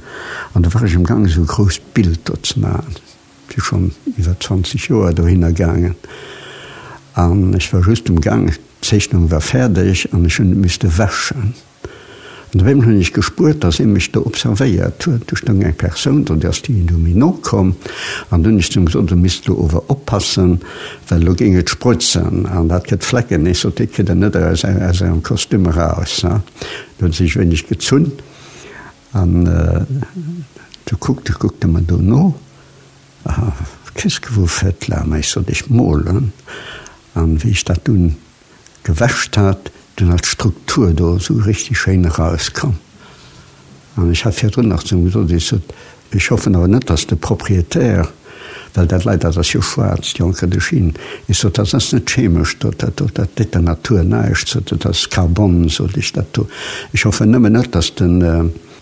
an du war ech emgaang esou e grousst Bild do ze maachen. Si schonn iwwer 20 Joer dohinner gaangen an ech war just um Gang, d'Zeechnung war fäerdeg an ech hunn et misste wäschen. An op eemol hunn ech gespuert, dass ee mech do observéiert huet. Do stoung eng Persoun do, déi ass do méi no komm. An dunn hunn ech zu him gesot, Du misst elo ower oppassen, well elo géing et sprëtzen an dat gëtt Flecken. Ech sot, Déi kritt Der net aus Ärem Kostüm eraus. Do huet e sech e wéineg gezunn an du kuckt, kuckt e mer do no, Qu'est-ce que vous faites là? Ma ech sot, Ech molen. An wéi ech dat dunn gewäscht hat, dunn ass d'Struktur do esou richtig schéin erauskomm. An ech hat virdrun nach zu him gesot, ech sot, ech hoffen awer net, dass de Propriétaire, well dat Leit, dat ass jo schwaarz, déi Encre de Chine, ech sot, dat ass net chemesch do, dat do, dat deet der Natur näischt, sot e, dat ass Carbon, sot ech, dat do. Ech hoffen nëmmen net, dass den,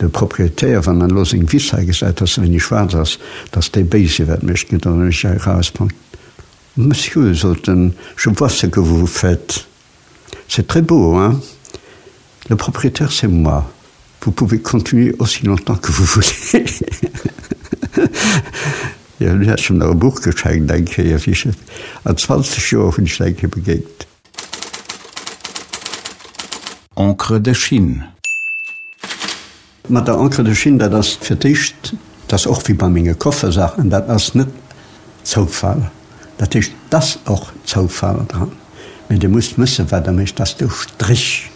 de Propriétaire, wann en elo seng Wiss hei gesäit, dass se wéini schwaarz ass, dass dee béis iwwert mech gëtt an mech hei erausbréngt. Monsieur, sot en, je vois ce que vous faites. C'est très beau, hein? Le propriétaire, c'est moi. Vous pouvez continuer aussi longtemps que vous voulez. Jo, dunn hat ech em nach e Buch geschenkt eng Kéier, wéi ech an 20 Joer hunn ech en eng Kéier begéint. Encre de Chine. Mat der Encre de Chine, dat ass fir d'éischt, dat ass och wéi bei menge Koffersaachen, dat ass net Zoufall. Dat heescht, et ass och Zoufall dran, mee Dir musst wëssen, wat Der mécht. Dat ass de Strich.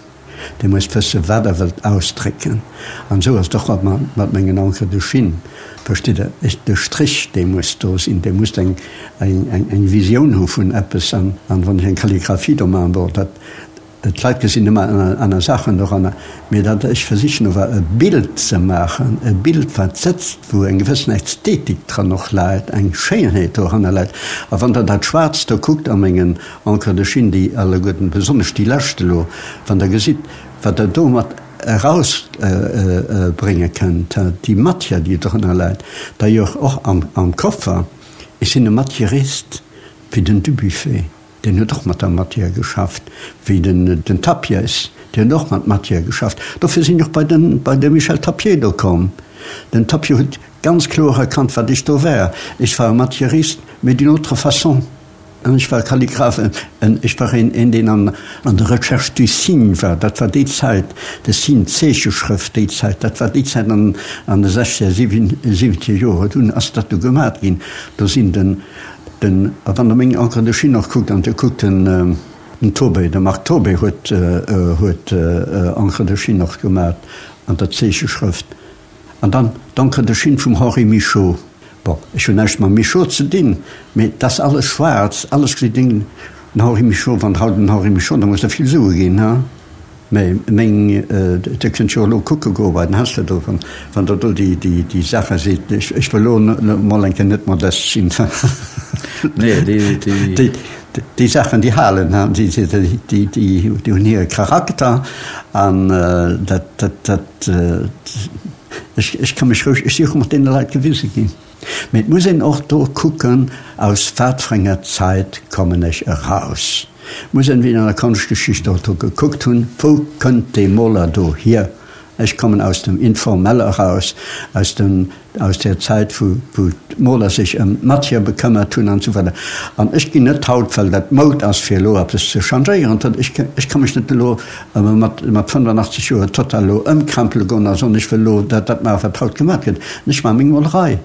Dir musst wëssen, wat Der wëllt ausdrécken. An esou ass et och mat mengen Encre de Chine. Verstitt Der? De Strich, dee muss do sinn. Dir musst eng Visioun hu vun eppes. An wann ech eng Kalligraphie do maachen, bon, dat, D'Leit gesinn ëmmer aner Saachen doranner, mee datt ech versichen ower e Bild ze maachen, e Bild wat sëtzt, wou eng gewëssen Ästhetik dran och läit, eng Schéinheet doranner läit. A wann Der dat Schwaarzt do kuckt a mengen Encre de Chine, déi alleguerten, besonnesch déi lescht elo, wann Der gesitt, wat Der domat erausbrénge kënnt, déi Matière, déi drënner läit, d'ailleurs och am Koffer, ech sinn e Matièrist wéi den Dubuffet. Deen huet och mat der Matière geschafft, wéi den Tapies, deen huet och mat Matière geschafft. Dofir sinn ech och bei den, bei de Michel Tapié do komm. Den Tapié huet ganz kloer erkannt, wat ech do war. Ech war e Matièriste, mais d'une autre façon. An ech war Kalligraph, en, ech war een, een deen an, an der Recherche du signe war. Dat war déi Zäit, de Signe, d'Zeecheschrëft, déi Zäit, dat war déi Zäit an, an de sechzeger, siwwenzeger Joren. Dunn ass dat du gemat ginn. Do sinn den, Den, a wann Der meng Encre de Chine och kuckt, an Dir kuckt den, den Tobé, de Marc Tobé huet, huet Encre de Chine och gemat an der Zeecheschrëft. An dann d'Encre de Chine vum Henri Michaux. Bon, ech hunn näischt mam Michaux ze dinn, mee et ass alles schwaarz, alles gesäit den Henri Michaux, wann Der haut den Henri Michaux, da muss Der vill Sue ginn, he? Mä meng, Dir kënnt jo elo kucke goe bei den Hassler do, wann Der do déi Saache sidd. Ech wëll elo emol eng Kéier net modest sinn. Nee, déi. Déi Saachen, déi halen, déi hunn hire Charakter an dat, dat, ech ka mech roueg, ech si och mat deene Leit gewise ginn. Mee et muss een och do kucken, aus wat fir enger Zäit kommen ech eraus. Et muss een, wéi an der Konschtgeschicht och do gekuckt hunn, wou kënnt dee Moler do hier? Ech kommen aus dem Informelle eraus, aus dem, aus där Zäit, wou, wou d'Moler sech ëm d'Matière bekëmmert hunn an esou weider. An ech ginn net haut, well dat Moud ass, fir elo eppes ze changéieren, ech, ech ka mech net elo mat, mat 85 Joer total elo ëmkrempele goen a soen, ech wëll elo dat, dat maachen, wat haut gemaach gëtt. Ech maache meng Molerei.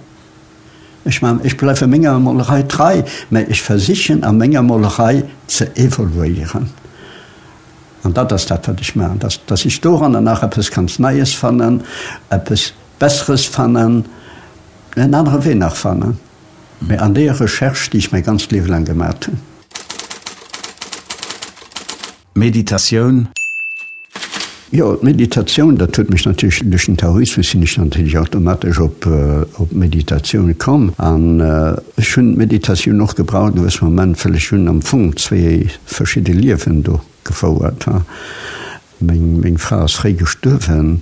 Ech maachen, ech bleiwe menger Molerei trei, mä ech versichen a menger Molerei ze evoluéieren. An dat ass dat, wat ech maachen, dass, dass ech doranner nach eppes ganz Neies fannen, eppes Besseres fannen, en anere Wee nach fannen, mä an deeër Recherche, déi ech mäi ganzt Liewe laang gemat hunn. Meditatioun. Jo, d'Meditatioun, dat huet mech natierlech, duerch den Taoismus sinn ech natierlech automatesch op d'Meditatioun komm. An ech hunn d'Meditatioun och gebraucht e gewësse Moment, well ech hunn am Fong zwee verschidde Liewen do gefouert. Meng, meng Fra ass fréi gestuerwen.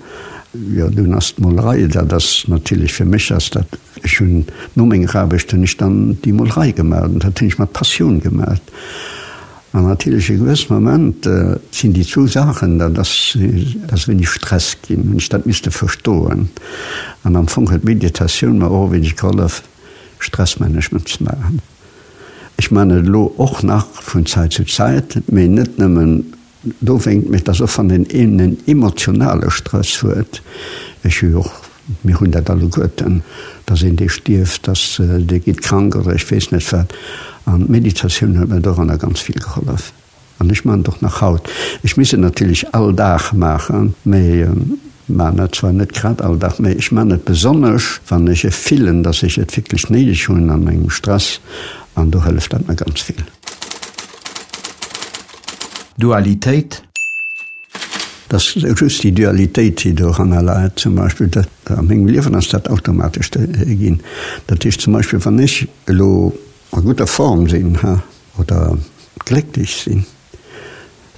Jo, dunn ass d'Molerei, dat ass natierlech, fir mech ass dat, ech hunn, no menger Aarbecht hunn ech dann déi Molerei gemaach an dat hunn ech mat Passioun gemaach. An natierlech e gewësse Moment sinn déi zwou Saachen, dat ass, dat ass e wéineg Stress ginn, hunn ech dat misste verstoen. An am Fong huet d'Meditatioun mer och e wéineg gehollef, Stressmanagement ze maachen. Ech maachen et elo och nach vun Zäit zu Zäit, mee net nëmmen. Dowéingt, mee et ass och wann een en emotionale Stress huet, ech hu jo och, mir hunn dat alleguerten, dass een dee stierft, dass dee geet krank oder ech weess net wat. An d'Meditatioun huet mir doranner ganz vill gehollef. An ech maachen et och nach haut. Ech misst et natierlech all Dag maachen, mee maachen et zwar net grad all Dag, mee ech maachen et besonnesch, wann ech e fillen, dass ech et wierklech néideg hunn an engem Stress, an do hëlleft dat mir ganz vill. Dualitéit. Et ass just déi Dualitéit, déi doranner läit. Zum Beispill, dat a mengem Liewen ass dat automatesch ginn. Dat heescht zum Beispill, wann ech elo a gudder Form sinn, ha, oder glécklech sinn,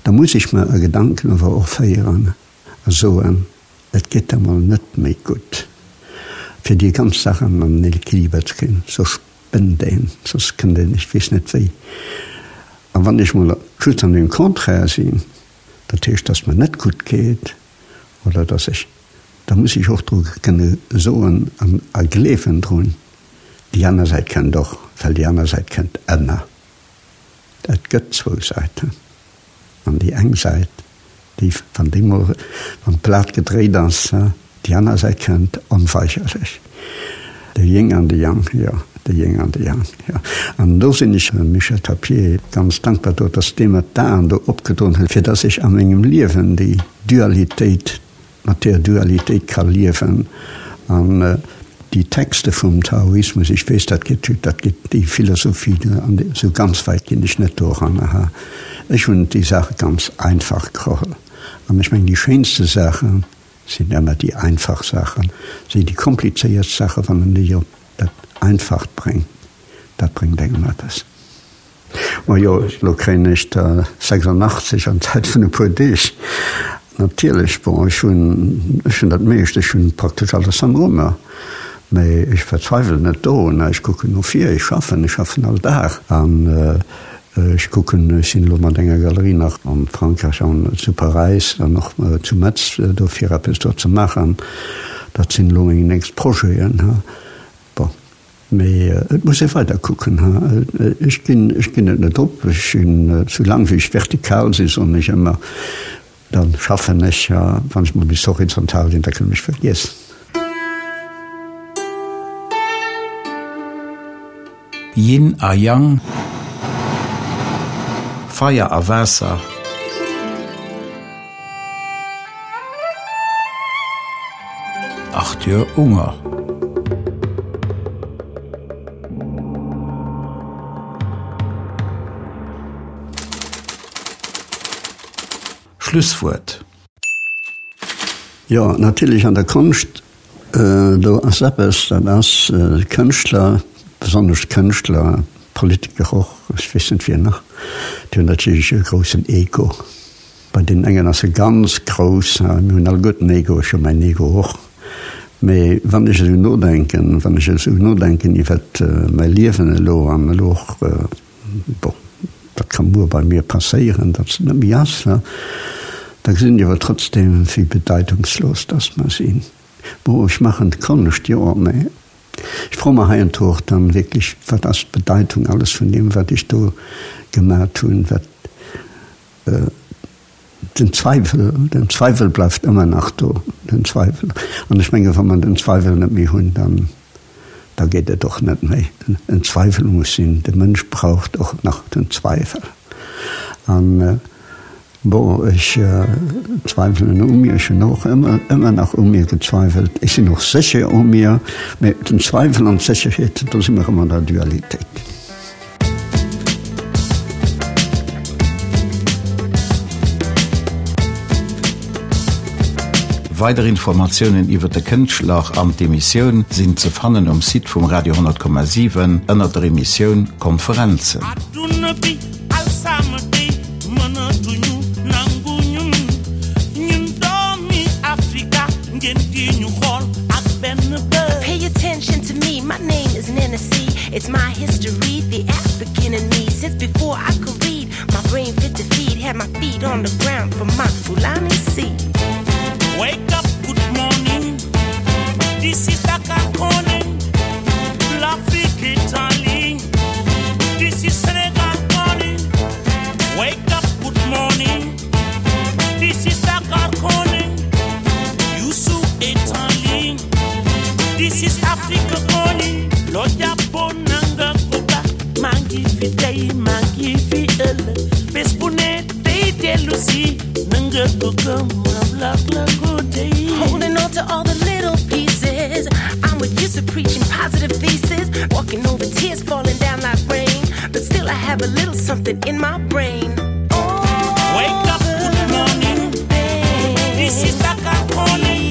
da muss ech mer e Gedanken awer och féieren a soen, Et geet der mol net méi gutt. Fir déi ganz Saach an den Equiliber ze kréien, soss spënnt een, soss kënnt een, ech weess net wéi. A wann ech mol just an dem Contraire sinn, dat heescht, dass mer net gutt geet oder dass ech, da muss ech och dru kënne soen an a gleewen drun, Déi aner Säit kënnt och, well déi aner Säit kënnt ëmmer. Et gëtt zwou Säiten. An déi eng Säit, déi, wann déi mol, wann d'Blat gedréit ass, déi aner Säit kënnt onweigerlech. De Ying an de Yang, jo, de Ying an de Yang, jo. An do sinn ech dem Michel Tapié ganz dankbar do, dass dee mer d'Aen do opgedoen huet, fir dass ech a mengem Liewen déi Dualitéit, mat där Dualitéit ka liewen an déi Texte vum Taoismus, ech weess, dat geet, dat geet déi Philosophie an esou ganz wäit ginn ech net doran, aha, ech hunn déi Saache ganz einfach geholl an ech mengen déi schéinste Saache sinn ëmmer déi einfach Saachen, si déi komplizéiert Saache wann en déi op dat Einfacht bréngt, dat bréngt engem eppes. Majo, elo kréien ech der 86 an Zäit vun e puer Deeg. Natierlech, bon, ech hunn, ech hunn dat meescht, ech hunn praktesch alles am Rummer, mä ech verzweiwelen net dorun. Ech kucken no vir, ech schaffen, ech schaffen all Dag an ech kucken, ech sinn elo mat enger Galerie nach am Frankräich an zu Paräis an och zu Metz do fir eppes do ze maachen. Dat sinn elo meng nächst Projeten. Bon. Mee et muss ee weider kucken. Ech ginn, ech ginn et net op. Ech sinn, sou laang wéi ech vertikal sinn, soen ech ëmmer, da schaffen ech. A wann ech mol bis horizontal sinn, da kënne mech vergiessen. Yin a Yang, Feier a Waasser. Arthur Unger. Schlusswuert. Jo, natierlech an der Konscht, do ass eppes, dat ass Kënschtler, besonnesch d'Kënschtler, Politiker och, ech weess net wien nach, déi hunn natierlech e groussen Ego. Bei deenen engen ass e ganz grouss, mir hunn alleguerten Ego, ech hu mäin Ego och, mee wann ech esou nodenken, wann ech esou nodenken iwwert mäi Liewen elo an elo och, bon, dat ka muer bei mir passéieren, datt et net méi ass, da gesinn ech awer trotzdem, wéi bedeitungslos datt mer sinn. Bon, ech maachen d'Konscht, jo, mee ech froe mer heiansdo och dann wierklech, wat ass d'Bedeitung alles vun deem, wat ech do gemat hunn, wat. Den Zweiwel, den Zweiwel bleift ëmmer nach do, den Zweiwel. An ech menge wa mer den Zweiwel net méi hunn, dann, da geet et och net méi. En Zweiwel muss sinn, de Mënsch braucht och nach den Zweiwel. An, bon, ech zweiwelen u mir, ech hunn och ëmmer, ëmmer nach u mir gezweiwelt. Ech sinn och sécher u mir, mä den Zweiwel an d'Sécherheet, do si mer erëm an der Dualitéit. Weider Informatiounen iwwer de Kënschtler an d'Emissioun sinn ze fannen um Site vum Radio 10,7 ënner der Emissioun Konferenzen. It's my history, the African in me. Since before I could read, my brain fit to feed, had my feet on the ground for my Fulani seed. Wake up, good morning. This is Dakar calling. L'Afrique est en ligne. This is Senegal calling. Wake up, good morning. Holding on to all the little pieces. I'm with used to preaching positive thesis. Walking over tears falling down like rain. But still I have a little something in my brain. Oh, Wake up, good morning. This is Dakar calling.